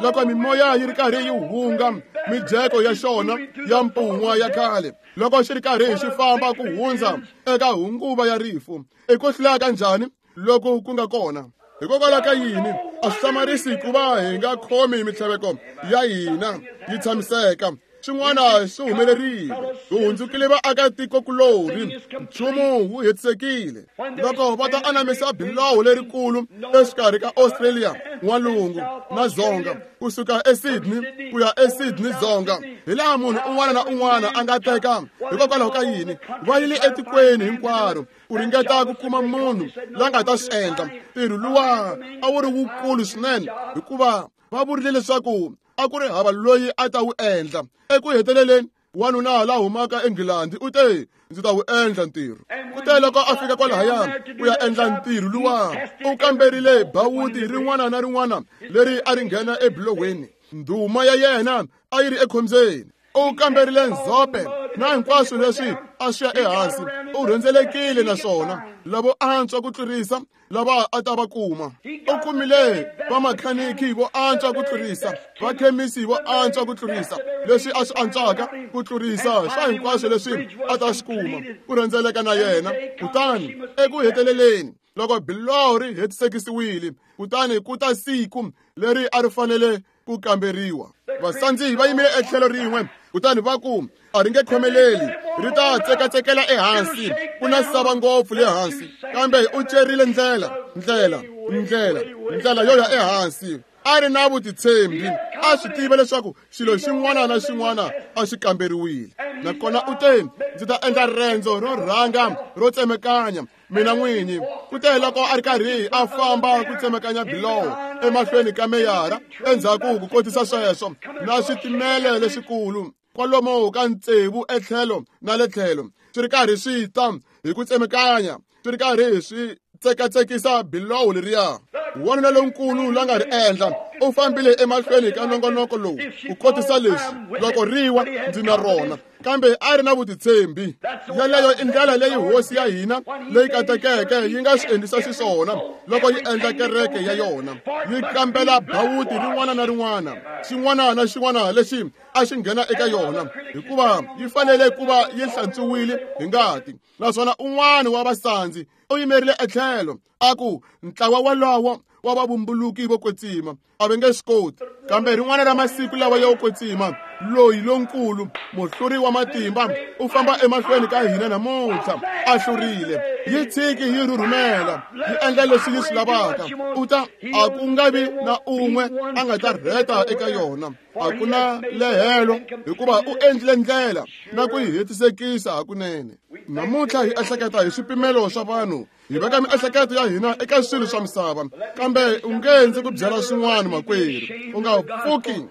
Loko mimoya yi ri karhi yi hunga mijeko ya xona ya mpun'wa ya khale, loko xi ri karhi xi famba ku hundza eka hunguva ya rifu, i ku hlula ka njhani loko ku nga kona? Hikokwalaho ka yini a swi hlamarisi ku va hi nga khomi mintlhaveko ya hina yi tshamiseka? Swin'wana swi humelerile, hi hundzukile vaakatikokulorhi, nchumu wu hetisekile. Loko va ta anamisa biloho lerikulu exikarhi ka Australia n'walungu na dzonga, kusuka eSydney ku ya eSydney dzonga, hi laha munhu un'wana na un'wana a nga teka. Hikokwalaho ka yini va yile etikweni hinkwaro ku ringeta ku kuma munhu la nga ta swi endla? Ntirho luwa a wu ri wukulu swinene, hikuva va vurile leswaku a ku ri hava loyi a ta wu endla. Eku heteleleni wanuna la humaka eNgilandi u te, ndzi ta wu endla ntirho. Kute loko a fika kwalahaya ku ya endla ntirho luwa, u kamberile bawuti rin'wana na rin'wana leri a ri nghena ebilohweni. Ndhuma ya yena a yi ri ekhombyeni. U kamberile ndzhope na hinkwaswo leswi a swi ya ehansi u rhendzelekile naswona lavo antswa ku tlurisa lava a ta va kuma u kumile vamakhaniki vo antswa ku tlurisa vakhemisi vo antswa ku tlurisa leswi a swi antswaka ku tlurisa swa hinkwaswo leswi a ta swi kuma ku rhendzeleka na yena kutani eku heteleleni loko biloho ri hetisekisiwile kutani ku ta siku leri a ri fanele ku kamberiwa vasandzi va yimile etlhelo rin'we kutani va ku a ri nge khomeleli ri ta tsekatsekela ehansi ku na sava ngopfu le hansi kambe u cerile ndlela ndlela ndlela ndlela yo ya ehansi a ri na vutitshembi a swi tiva leswaku xilo xin'wana na xin'wana a xi kamberiwile nakona u te ndzi ta endla rendzo ro rhanga ro tsemekanya mina n'winyi ku te loko a ri karhi a famba ku tsemekanya biloho emahlweni ka meyara endzhaku ku kotisa sweswo na switimele leswikulu kwalomu ka tsevu etlhelo na le tlhelo swi ri karhi swi ta hi ku tsemekanya swi ri karhi swi tsekatsekisa biloho leriya wanuna lonkulu la nga ri endla u fambile emahlweni ka nongonoko lowu ku kotisa leswi loko riwa ndzi na rona kambe a ri na vutitshembi yeleyo i ndlela leyi hosi ya hina leyi katekeke yi nga swi endlisa xiswona loko yi endla kereke ya yona yi kambela bawuti rin'wana na rin'wana xin'wana na xin'wana lexi a xi nghena eka yona hikuva yi fanele ku va yi hlantswiwile hi ngati naswona un'wana wa vasandzi u yimerile etlhelo a ku ntlawa walowo wa vavumbuluki vo kwetsima a va nge swi koti kambe rin'wana ra masiku lawa yo kwetsima loyi lonkulu muhluri wa matimba u famba emahlweni ka hina namuntlha a hlurile yi tshiki yi rhurhumela yi endla leswi yi swi lavaka u ta a ku nga vi na un'we a nga ta rheta eka yona a ku na lehelo hikuva u endlile ndlela na ku yi hetisekisa hakunene namuntlha hi ehleketa hi swipimelo swa vanhu hi veka miehleketo ya hina eka swilo swa misava kambe u nge ndzi ku byela swin'wana makwerhu u nga pfuki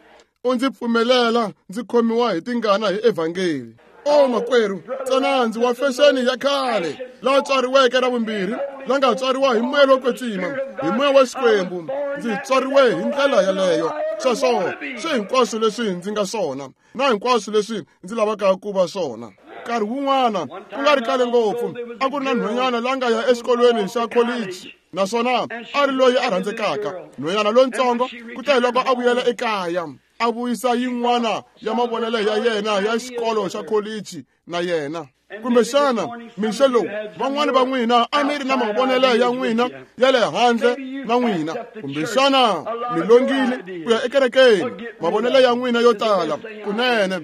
u ndzi pfumelela ndzi khomiwa hi tingana hi evhangeli o makwerhu ntsena ndzi wa fexeni ya khale la tswariweke ra vumbirhi la nga tswariwa hi moya lowo kwetsima hi moya wa Xikwembu ndzi tswariwe hi ndlela yeleyo sweswo swi hinkwaswo leswi ndzi nga swona na hinkwaswo leswi ndzi lavaka ku va swona nkarhi wun'wana ku nga ri kale ngopfu a ku ri na nhwanyana la nga ya exikolweni xa kholichi naswona a ri loyi a rhandzekaka nhwanyana lontsongo ku ta hi loko a vuyela ekaya a vuyisa yin'wana ya mavonelo ya yena ya xikolo xa kholichi na yena kumbexana mixo lowu van'wani va n'wina a mi ri na mavonelo ya n'wina ya le handle na n'wina kumbexana mi longile ku ya ekerekeni mavonelo ya n'wina yo tala kunene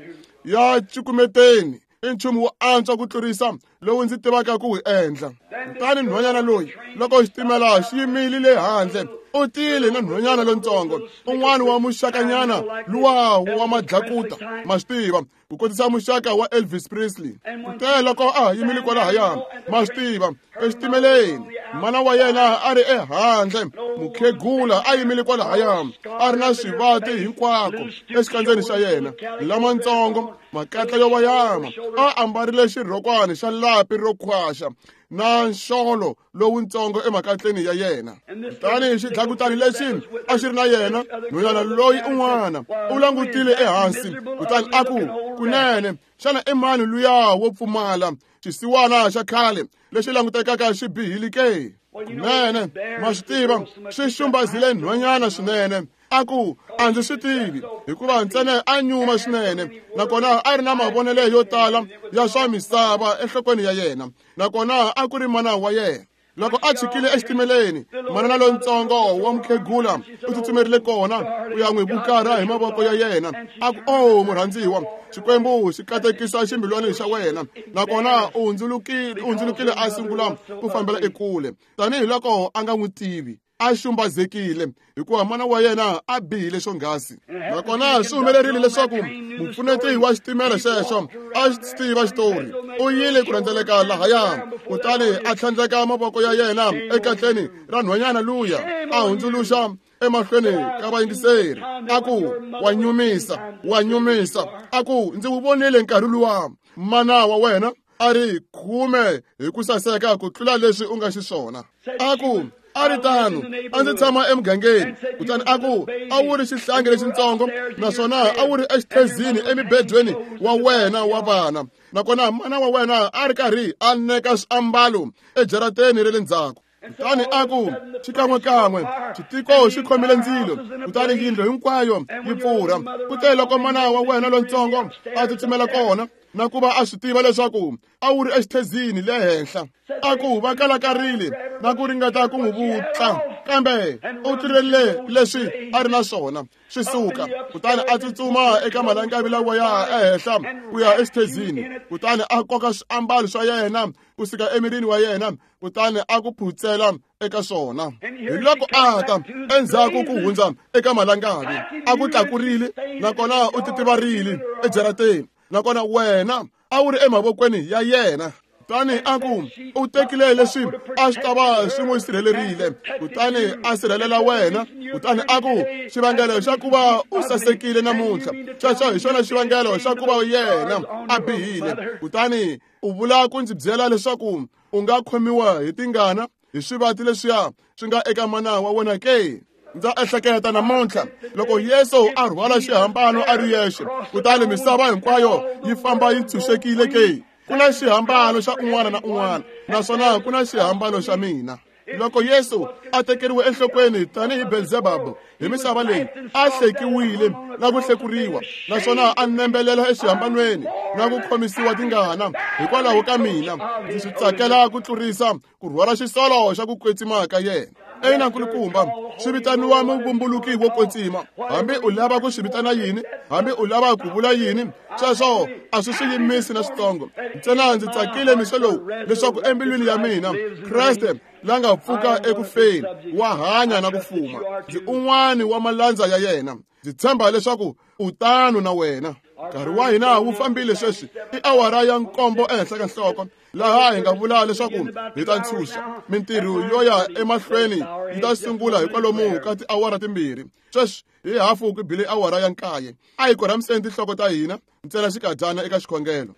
ya cukumeteni i nchumu wo antswa ku tlurisa lowu ndzi tivaka ku wu endla kutani nhwanyana loyi loko xitimela xi yimile le handle u tile na nhwanyana lontsongo un'wana wa muxakanyana luwa wa madlakuta ma swi tiva ku kotisa muxaka wa Elvis Presley kutani loko a yimile kwalahaya ma swi tiva exitimeleni mana wa yena a ri ehandle mukhegula a yimile kwalahaya a ri na swivati hinkwako exikandzeni xa yena lamatsongo makatla yo vayama a ambarile xirhokwani xa lapi ro khwaxa na nxolo lowuntsongo emakatleni ya yena kutani xidlakutani lexi a xi ri na yena nhwanyana loyi un'wana u langutile ehansi kutani a ku kunene xana i mani luya wo pfumala xisiwana xa khale lexi langutekaka xi bihile ke kunene ma swi tiva swi xumbazile nhwanyana swinene a ku a ndzi swi tivi hikuva ntsena a nyuma swinene nakona a ri na mavonelo yo tala ya swa misava enhlokweni ya yena nakona a ku ri mana wa yena loko a chikile exitimeleni manana lontsongo wa mukhegula u tsutsumerile kona ku ya n'wi vukara hi mavoko ya yena a ku o murhandziwa Xikwembu xi katekisa ximbilwani xa wena nakona u hundzulukile a sungula ku fambela ekule tanihiloko a nga n'wi tivi a xumbazekile hikuva mana wa yena a bihile xonghasi nakona swi humelerile leswaku mupfuneti wa xitimela xexo a xi tiva xitori u yile ku rhendzeleka lahaya kutani a tlhandleka mavoko ya yena ekatleni ra nhwanyana luya a hundzuluxa emahlweni ka vayingiseri a ku wa nyumisa wa nyumisa a ku ndzi wu vonile nkarhi luwa mana wa wena a ri khume hi ku saseka ku tlula leswi u nga xiswona a ku A ri tano, a ndzi tshama emugangeni. Kutani a ku, a wu ri xihlangi lexitsongo, naswona a wu ri exithezini emibedweni wa wena wa vana. Nakona mana wa wena a ri karhi a neka swiambalo ejarateni ra le ndzhaku. Kutani a ku, xikan'wekan'we xitiko xi khomile ndzilo, kutani yindlu hinkwayo yi pfurha. Kute loko mana wa wena lontsongo a tsutsumela kona, na ku va a swi tiva leswaku a wu ri exithezini le henhla. A ku va kalakarile na ku ringeta ku n'wi vutla, kambe u tirhelele leswi a ri na swona swi suka. Kutani a tsutsuma eka malangavi lawa ya ehenhla ku ya exithezini, kutani a koka swiambalo swa yena ku suka emirini wa yena, kutani a ku phutsela eka swona. Hi loko a ta endzhaku ku hundza eka malangavi, a ku tlakurile, nakona u titivarile ejarateni, nakona wena a wu ri emavokweni ya yena. Kutani a ku, u tekile leswi a swi ta va swi n'wi sirhelerile, kutani a sirhelela wena. Kutani a ku, xivangelo xa ku va u sasekile namuntlha, xexo hi xona xivangelo xa ku va yena a bihile. Kutani u vula ku ndzi byela leswaku u nga khomiwa hi tingana hi swivati leswiya swi nga eka mana wa wena ke? Ndza ehleketa namuntlha loko Yesu a rhwala xihambano a ri yexe, kutani misava hinkwayo yi famba yi ntshunxekile ke? Ku na xihambano xa un'wana na un'wana, naswona ku na xihambano xa mina. Loko Yesu a tekeriwe enhlokweni tanihi Belzebabu hi misava leyi, a hlekiwile na ku hlekuriwa, naswona a nembelela exihambanweni na ku khomisiwa tingana hikwalaho ka mina, ndzi swi tsakela ku tlurisa ku rhwala xisolo xa ku kwetsima ka yena. Ina nkulukumba, swi vitaniwa muvumbuluki wo kwetsima. Hambi u lava ku swi vitana yini, hambi u lava ku vula yini, sweswo a swi swi yimisi na switsongo. Ntsena ndzi tsakile mixo lowu leswaku embilwini ya mina Kreste la nga pfuka eku feni wa hanya na ku fuma. Ndzi un'wana wa malandza ya yena. Ndzi tshemba leswaku u tano na wena. Nkarhi wa hina wu fambile sweswi, i awara ya 7 ehenhla ka nhloko, laha hi nga vula leswaku hi ta ntshunxa. Mintirho yo ya emahlweni yi ta sungula hi kwalomu ka tiawara 2. Sweswi hi hafu ku bile awara ya 9. A hi korhamiseni tinhloko ta hina ntsena xikadyana eka xikhongelo.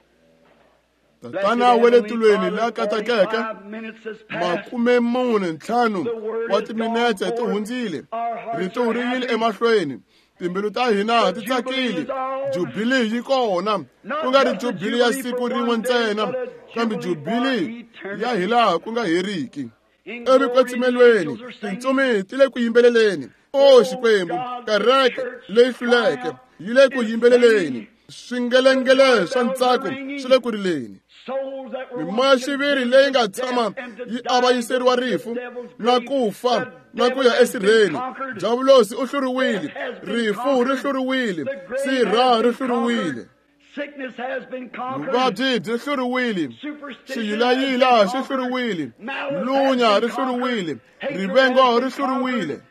Tatana wa le tilweni la katekeke, 45 wa timinetse ti hundzile, rito ri yile emahlweni, timbilu ta hina ti tsakile. Jubili yi kona, ku nga ri jubili ya siku rin'we ntsena, kambe jubili ya hilaha ku nga heriki. Evikwetsimelweni tintsumi ti le ku yimbeleleni. O Xikwembu, kereke leyi hluleke yi le ku yimbeleleni. Swingelengele swa ntsako swi le ku rileni. Mimoya-xiviri leyi nga tshama yi avanyiseriwa rifu na ku fa na ku ya esirheni. Diavulosi u hluriwile, rifu ri hluriwile, sirha ri hluriwile. Vuvabyi byi hluriwile, xiyilayila xi hluriwile, lunya ri hluriwile, rivengo ri hluriwile,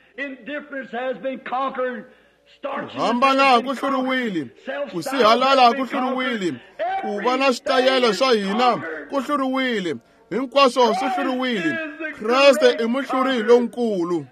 ku hambana ku hluriwile, ku sihalala ku hluriwile, ku va na switayele swa hina ku hluriwile, hinkwaswo swi hluriwile. Kreste i muhluri lonkulu.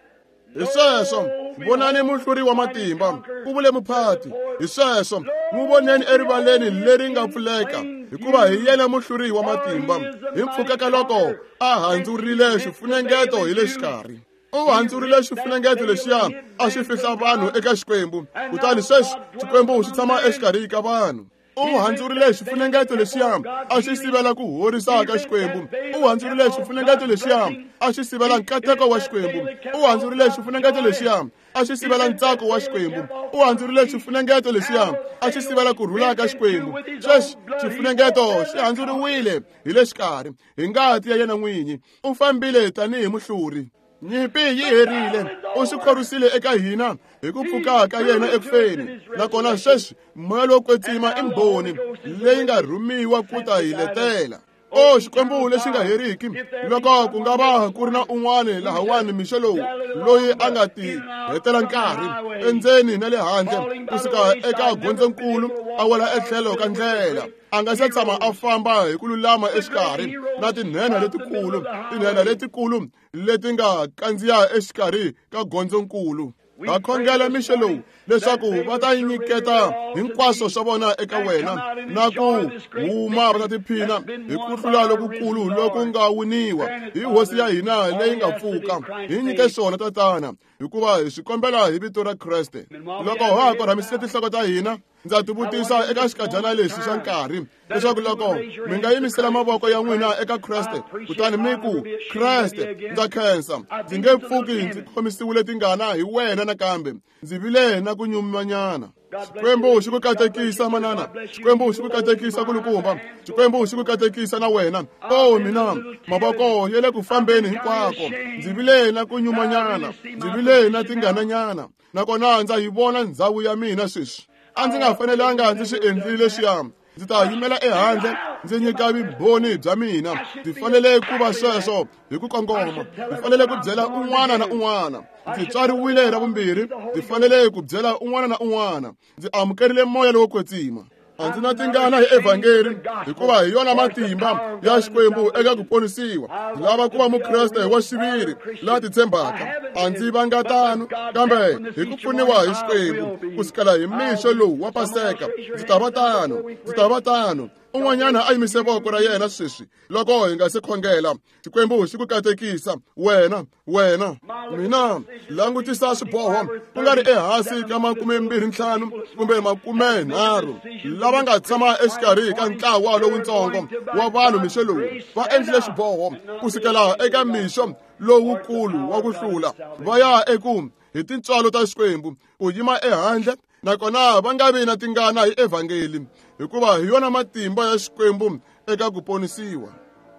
Hi sweswo, vonani muhluri wa matimba, ku vule muphati. Hi sweswo, n'wi voneni erivaleni leri nga pfuleka, hikuva hi yena muhluri wa matimba. Hi mpfhuka ka loko a handzurile xifunengeto hi le xikarhi. U handzurile xifunengeto lexiya a xi fihla vanhu eka Xikwembu, kutani sweswi Xikwembu xi tshama exikarhi ka vanhu. U handzurile xifunengeto lexiya a xi sivela ku horisa ka Xikwembu. U handzurile xifunengeto lexiya a xi sivela nkateko wa Xikwembu. U handzurile xifunengeto lexiya a xi sivela ntsako wa Xikwembu. U handzurile xifunengeto lexiya a xi sivela ku rhula ka Xikwembu. Sweswi xifunengeto xi handzuriwile hi le xikarhi hi ngati ya yena n'winyi. U fambile tanihi muhluri. Nyimpi yi herile, u swi khorwisile eka hina hi ku pfuka ka yena ekufeni. Nakona sweswi moya lowo kwetsima i mbhoni leyi nga rhumiwa ku ta hi letela. O Xikwembu lexi nga heriki, loko ku nga va ku ri na un'wana lahawani mixo lowu loyi a nga ti hetela nkarhi endzeni na le handle kusuka eka gondzonkulu a wela etlhelo ka ndlela, a nga se tshama a famba hi ku lulama exikarhi na tinhenha letikulu, tinhenha letikulu leti nga kandziya exikarhi ka gondzonkulu. Ha khongela mixo lowu leswaku va ta nyiketa hinkwaswo swa vona eka wena na ku huma va ta tiphina hi ku hlula lokukulu loku nga winiwa hi hosi ya hina leyi nga pfuka. Hi nyike swona Tatana, hikuva hi swi kombela hi vito ra Kreste. Loko ha ha korhamisile tinhloko ta hina, ndza tivutisa eka xikadyana lexi xa nkarhi leswaku loko mi nga yimisela mavoko ya n'wina eka Kreste kutani mi ku, Kreste, ndza khensa, ndzi nge pfuki ndzi khomisiwile tingana hi wena nakambe, ndzi vile na ku nyumanyana. Xikwembu xi ku katekisa manana, Xikwembu xi ku katekisa kulukumba, Xikwembu xi ku katekisa na wena. O mina, mavoko ya le ku fambeni hinkwako, ndzi vile na ku nyumanyana, ndzi vile na tingananyana, nakona ndza yi vona ndhawu ya mina sweswi. A ndzi nga fanelanga ndzi swi endlile leswiya. Ndzi ta yimela ehandle ndzi nyika vumbhoni bya mina. Ndzi fanele ku va sweswo hi ku kongoma. Ndzi fanele ku byela un'wana na un'wana. Ndzi tswariwile ra vumbirhi. Ndzi fanele ku byela un'wana na un'wana. Ndzi amukerile moya lowo kwetsima. A ndzi na tingana hi evhangeli, hikuva hi yona matimba ya Xikwembu eka ku ponisiwa. Ndzi lava ku va mukreste wa xiviri la titshembaka. A ndzi vanga tano, kambe hi ku pfuniwa hi Xikwembu ku sukela hi mixo lowu wa Paseka, ndzi ta va tano, ndzi ta va tano. Un'wanyana a yimise voko ra yena sweswi loko hi nga se khongela. Xikwembu xi ku katekisa wena, wena. Mina langutisa swiboho ku nga ri ehansi ka 25 kumbe 30 lava nga tshama exikarhi ka ntlawa lowutsongo wa vanhu mixo lowu va endlile xiboho ku sukela eka mixo lowukulu wa ku hlula va ya eku hi tintswalo ta Xikwembu ku yima ehandle, nakona va nga vi na tingana hi evhangeli, hikuva hi yona matimba ya Xikwembu eka ku ponisiwa.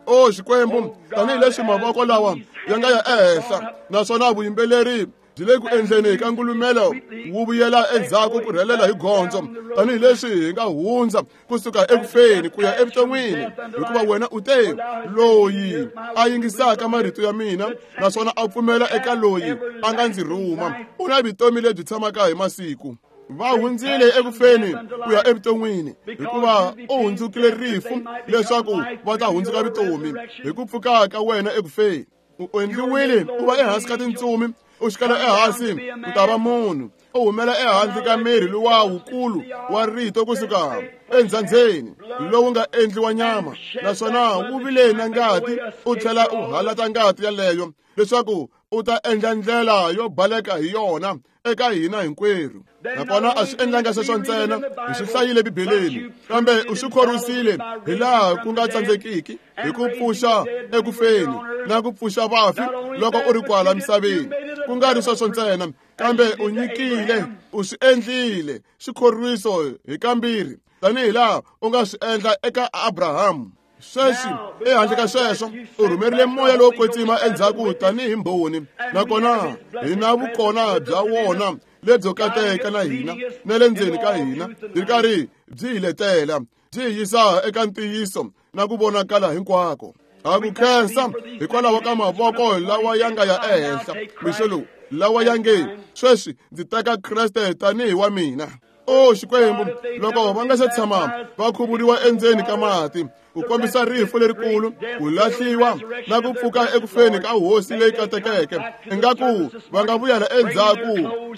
O Xikwembu, tanihileswi mavoko lawa ya nga ya ehenhla, naswona vuyimbeleri byi le ku endleni ka ngulumelo wu vuyela endzhaku ku rhelela hi gondzo, tanihileswi hi nga hundza kusuka ekufeni ku ya evuton'wini, hikuva wena u te, loyi a yingisaka marito ya mina naswona a pfumela eka loyi a nga ndzi rhuma u na vutomi lebyi tshamaka hi masiku. Va hundzile ekufeni ku ya evuton'wini, hikuva u hundzukile rifu leswaku va ta hundzuka vutomi hi ku pfuka ka wena ekufeni. U endliwile u va ehansi ka tintsumi, u xikela ehansi ku ta va munhu, u humela ehansi ka miri luwa wukulu wa rito kusuka endzhandzeni lowu nga endliwa nyama, naswona wu vile na ngati, u tlhela u halata ngati yaleyo leswaku u ta endla ndlela yo baleka hi yona eka hina hinkwerhu. Nakona a swi endlanga sweswo ntsena, hi swi hlayile Bibeleni, kambe u swi khorwisile hi laha ku nga tsandzekiki hi ku pfuxa ekufeni na ku pfuxa vafi loko u ri kwala misaveni. Ku nga ri sweswo ntsena, kambe u nyikile, u swi endlile xikhorwiso hi kambirhi, tanihi laha u nga swi endla eka Abrahamu. Sweswi ehandle ka sweswo, u rhumerile moya lowo kwetsima endzhaku tanihi mbhoni, nakona hi na vukona bya wona lebyo kateka na hina na le ndzeni ka hina, byi ri karhi byi hi letela, byi hi yisa eka ntiyiso na ku vonakala hinkwako. Ha ku khensa hikwalaho ka mavoko lawa ya nga ya ehenhla mixo lowu, lawa ya nge sweswi ndzi teka Kreste tanihi wa mina. O Xikwembu, loko va nga se tshama va khuvuriwa endzeni ka mati ku kombisa rifu lerikulu, ku lahliwa na ku pfuka ekufeni ka hosi leyi katekeke, ingaku va nga vuyela endzhaku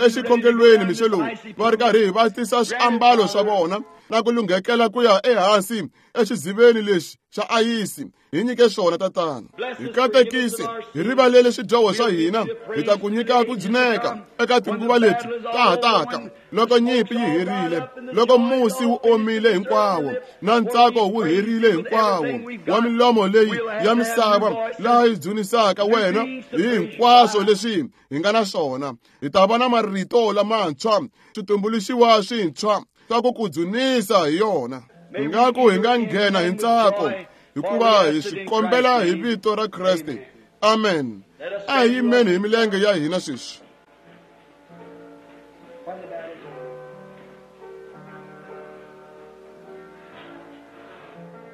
exikhongelweni mixo lowu va ri karhi va tisa swiambalo swa vona na ku lunghekela ku ya ehansi exiziveni lexi xa ayisi. Hi nyike swona Tatana, hi katekise, hi rivalele swidyoho swa hina, hi ta ku nyika ku dzuneka eka tinguva leti ta ha taka, loko nyimpi yi herile, loko musi wu omile hinkwawo na ntsako wu herile hinkwawo wa milomo leyi ya misava laha yi dzunisaka wena hi hinkwaswo leswi hi nga na swona. Hi ta va na marito lamantshwa, switumbuluxiwa swintshwa swa ku ku dzunisa hi yona. Ingaku hi nga nghena hi ntsako, hikuva hi swi kombela hi vito ra Kreste. Amen. A hi yimeni hi milenge ya hina sweswi.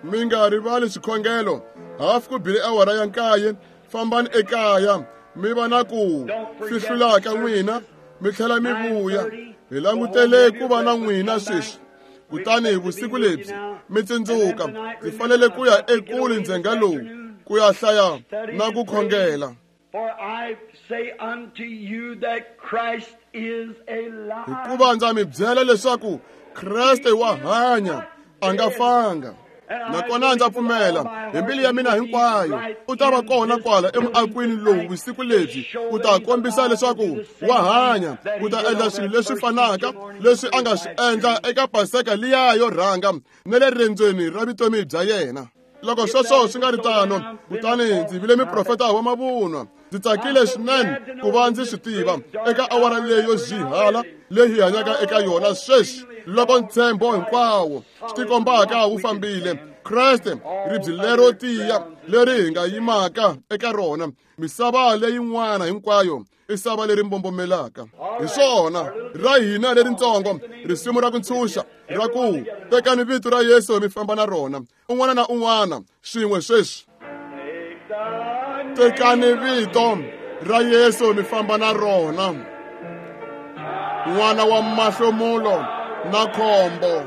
Mi nga rivali swikhongelo. Hafu ku bile awara ya 9, fambani ekaya mi va na ku fihlula ka n'wina, mi tlhela mi vuya. Hi langutele ku va na n'wina sweswi. Kutani vusiku lebyi mi tsundzuka, ndzi fanele ku ya ekule ndzhenga lowu ku ya hlaya na ku khongela. Hikuva ndza mi byela leswaku Kreste wa hanya, a nga fanga. Nakona ndza pfumela hi mbilu ya mina hinkwayo u ta va kona kwala emuakwini lowu vusiku lebyi, u ta kombisa leswaku wa hanya, u ta endla swilo leswi fanaka leswi a nga swi endla eka Paseka liya yo rhanga na le rendzweni ra vutomi bya yena. Loko sweswo swi nga ri tano, kutani ndzi vile muprofeta wa mavunwa. Ndzi tsakile swinene ku va ndzi swi tiva eka awara leyi yo zihala leyi hi hanyaka eka yona sweswi, loko ntshembo hinkwawo swi tikombaka wu fambile. Kreste ribye lero tiya leri hi nga yimaka eka rona, misava leyin'wana hinkwayo i sava leri mbombomelaka. Hi swona ra hina leritsongo risimu ra ku ntshunxa ra ku tekani vito ra Yesu mi famba na rona, un'wana na un'wana swin'we sweswi. Tekani vito ra Yesu mi famba na rona, n'wana wa mahlomulo na khombo,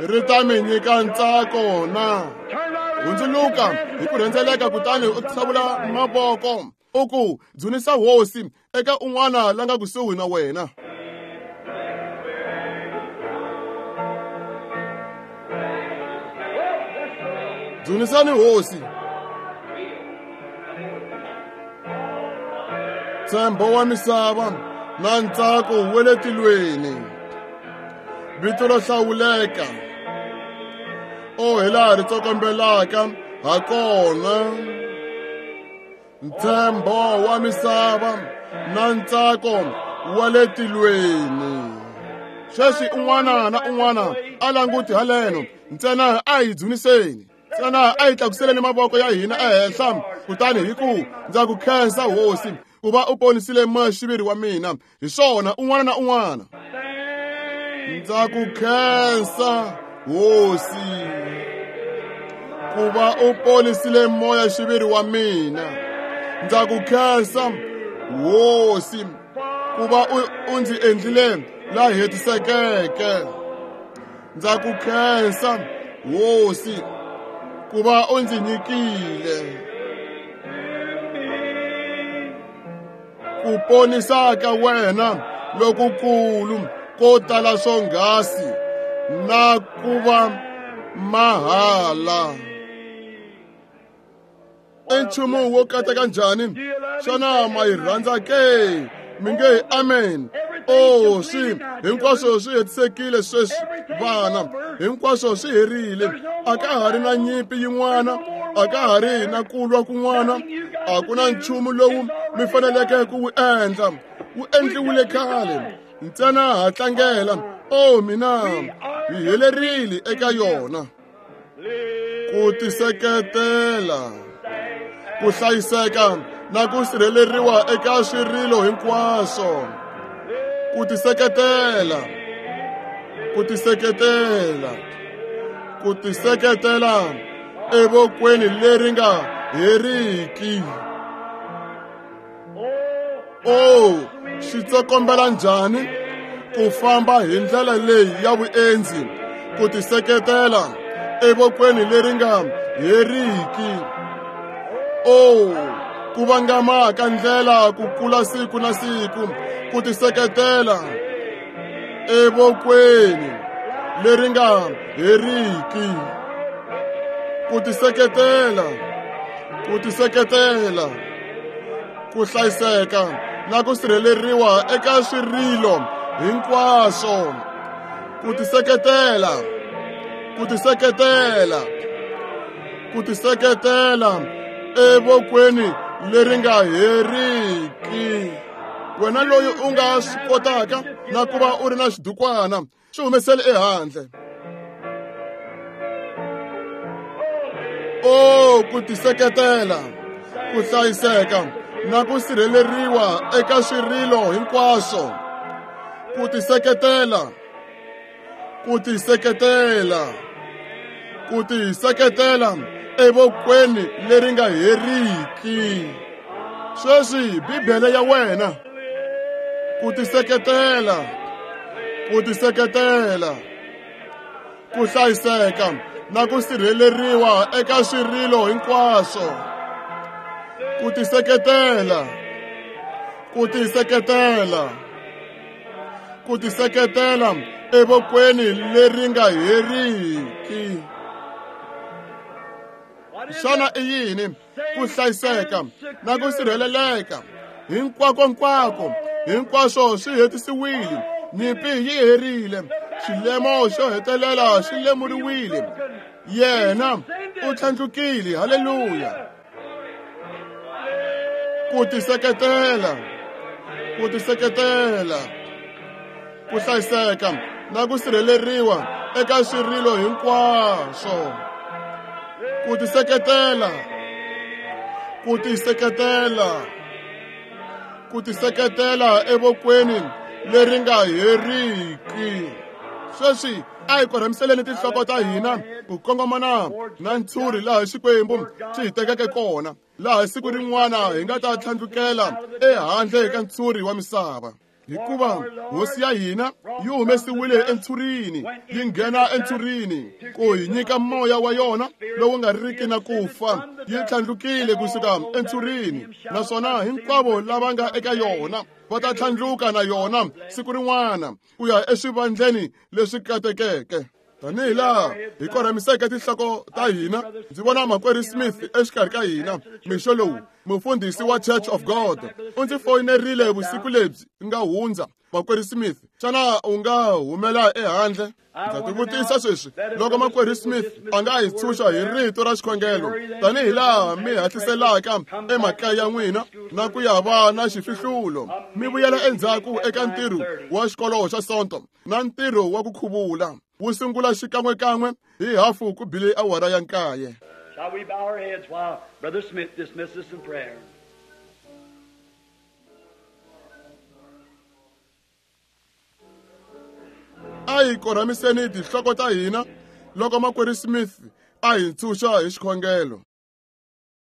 ri ta mi nyika ntsako na hundzuluka hi ku rhendzeleka, kutani u tlhavula mavoko u ku dzunisa hosi eka un'wana la nga kusuhi na wena. Dzunisani hosi. Ntshembo wa misava na ntsako wa le tilweni, vito ro hlawuleka o hi laha ri tsokombelaka ha kona. Ntshembo wa misava na ntsako wa le tilweni. Sweswi un'wana na un'wana a languti haleno, ntsena a hi dzuniseni, ntsena a hi tlakuseleni mavoko ya hina ehenhla, kutani hi ku ndza ku khensa hosi ku va u ponisile moya-xiviri wa mina. Hi swona un'wana na un'wana, ndza ku khensa hosi ku va u ponisile moya-xiviri wa mina. Ndza ku khensa hosi ku va u ndzi endlile la hetisekeke. Ndza ku khensa hosi ku va u ndzi nyikile ku ponisa ka wena lokukulu ko tala swonghasi na ku va mahala. I nchumu wo kateka njhani? Xana ma yi rhandza ke? Mi nge amen. O swi hinkwaswo swi hetisekile sweswi vana, hinkwaswo swi herile. A ka ha ri na nyimpi yin'wana, a ka ha ri na ku lwa kun'wana, a ku na nchumu lowu mi faneleke ku wu endla, wu endliwile khale. Ntsena ha tlangela. O mina hi helerile eka yona. Ku tiseketela, ku hlayiseka na ku sirheleriwa eka swirilo hinkwaswo. Ku tiseketela, ku tiseketela, ku tiseketela evokweni leri nga heriki. O swi tsokombela njhani ku famba hi ndlela leyi ya vuendzi, ku tiseketela evokweni leri nga heriki. O ku vangama ka ndlela ku kula siku na siku, ku tiseketela evokweni leri nga heriki. Ku tiseketela, ku tiseketela, ku hlayiseka na ku sirheleriwa eka swirilo hinkwaswo. Ku tiseketela, ku tiseketela, ku tiseketela evokweni leri nga heriki. Wena loyi u nga swi kotaka na ku va u ri na xidukwana, xi humesele ehandle. O ku tiseketela, ku hlayiseka na ku sirheleriwa eka swirilo hinkwaswo. Ku tiseketela, ku tiseketela, ku tiseketela evokweni leri nga heriki. Sweswi Bibele ya wena. Ku tiseketela, ku tiseketela, ku hlayiseka na ku sirheleriwa eka swirilo hinkwaswo. Ku tiseketela, ku tiseketela, ku tiseketela evokweni leri nga heriki. Xana i yini ku hlayiseka na ku sirheleleka? Hinkwako-nkwako, hinkwaswo swi hetisiwile, nyimpi yi herile, xilemo xo hetelela xi lemuriwile. Yena u tlhandlukile, haleluya. Ku tiseketela, ku tiseketela, ku hlayiseka na ku sirheleriwa eka swirilo hinkwaswo. Ku tiseketela, ku tiseketela, ku tiseketela evokweni leri nga heriki. Sweswi a hi korhamiseleni tinhloko ta hina ku kongomana na ntshuri laha Xikwembu xi hi tekeke kona, laha siku rin'wana hi nga ta tlhandlukela ehandle ka ntshuri wa misava. Hikuva hosi ya hina yi humesiwile entshurini, yi nghena entshurini ku hi nyika moya wa yona lowu nga riki na ku fa. Yi tlhandlukile kusuka entshurini, naswona hinkwavo lava nga eka yona va ta tlhandluka na yona siku rin'wana ku ya eswivandleni leswi katekeke. Tanihi laha hi korhamiseke tinhloko ta hina, ndzi vona makwerhu Smith exikarhi ka hina mixo lowu, mufundhisi wa Church of God. U ndzi foyinerile vusiku lebyi nga hundza. Makwerhu Smith, xana u nga humela ehandle? Ndza tivutisa sweswi loko makwerhu Smith a nga hi tshunxa hi rito ra xikhongelo, tanihi laha mi hatliselaka emakaya ya n'wina na ku ya va na xifihlulo, mi vuyela endzhaku eka ntirho wa xikolo xa Sonto na ntirho wa ku khuvula wu sungula xikan'wekan'we hi hafu ku bile awara ya 9. Shall we bow our heads while Brother Smith dismisses in prayer? A hi korhamiseni tinhloko ta hina loko makwerhu Smith a hi ntshunxa hi xikhongelo.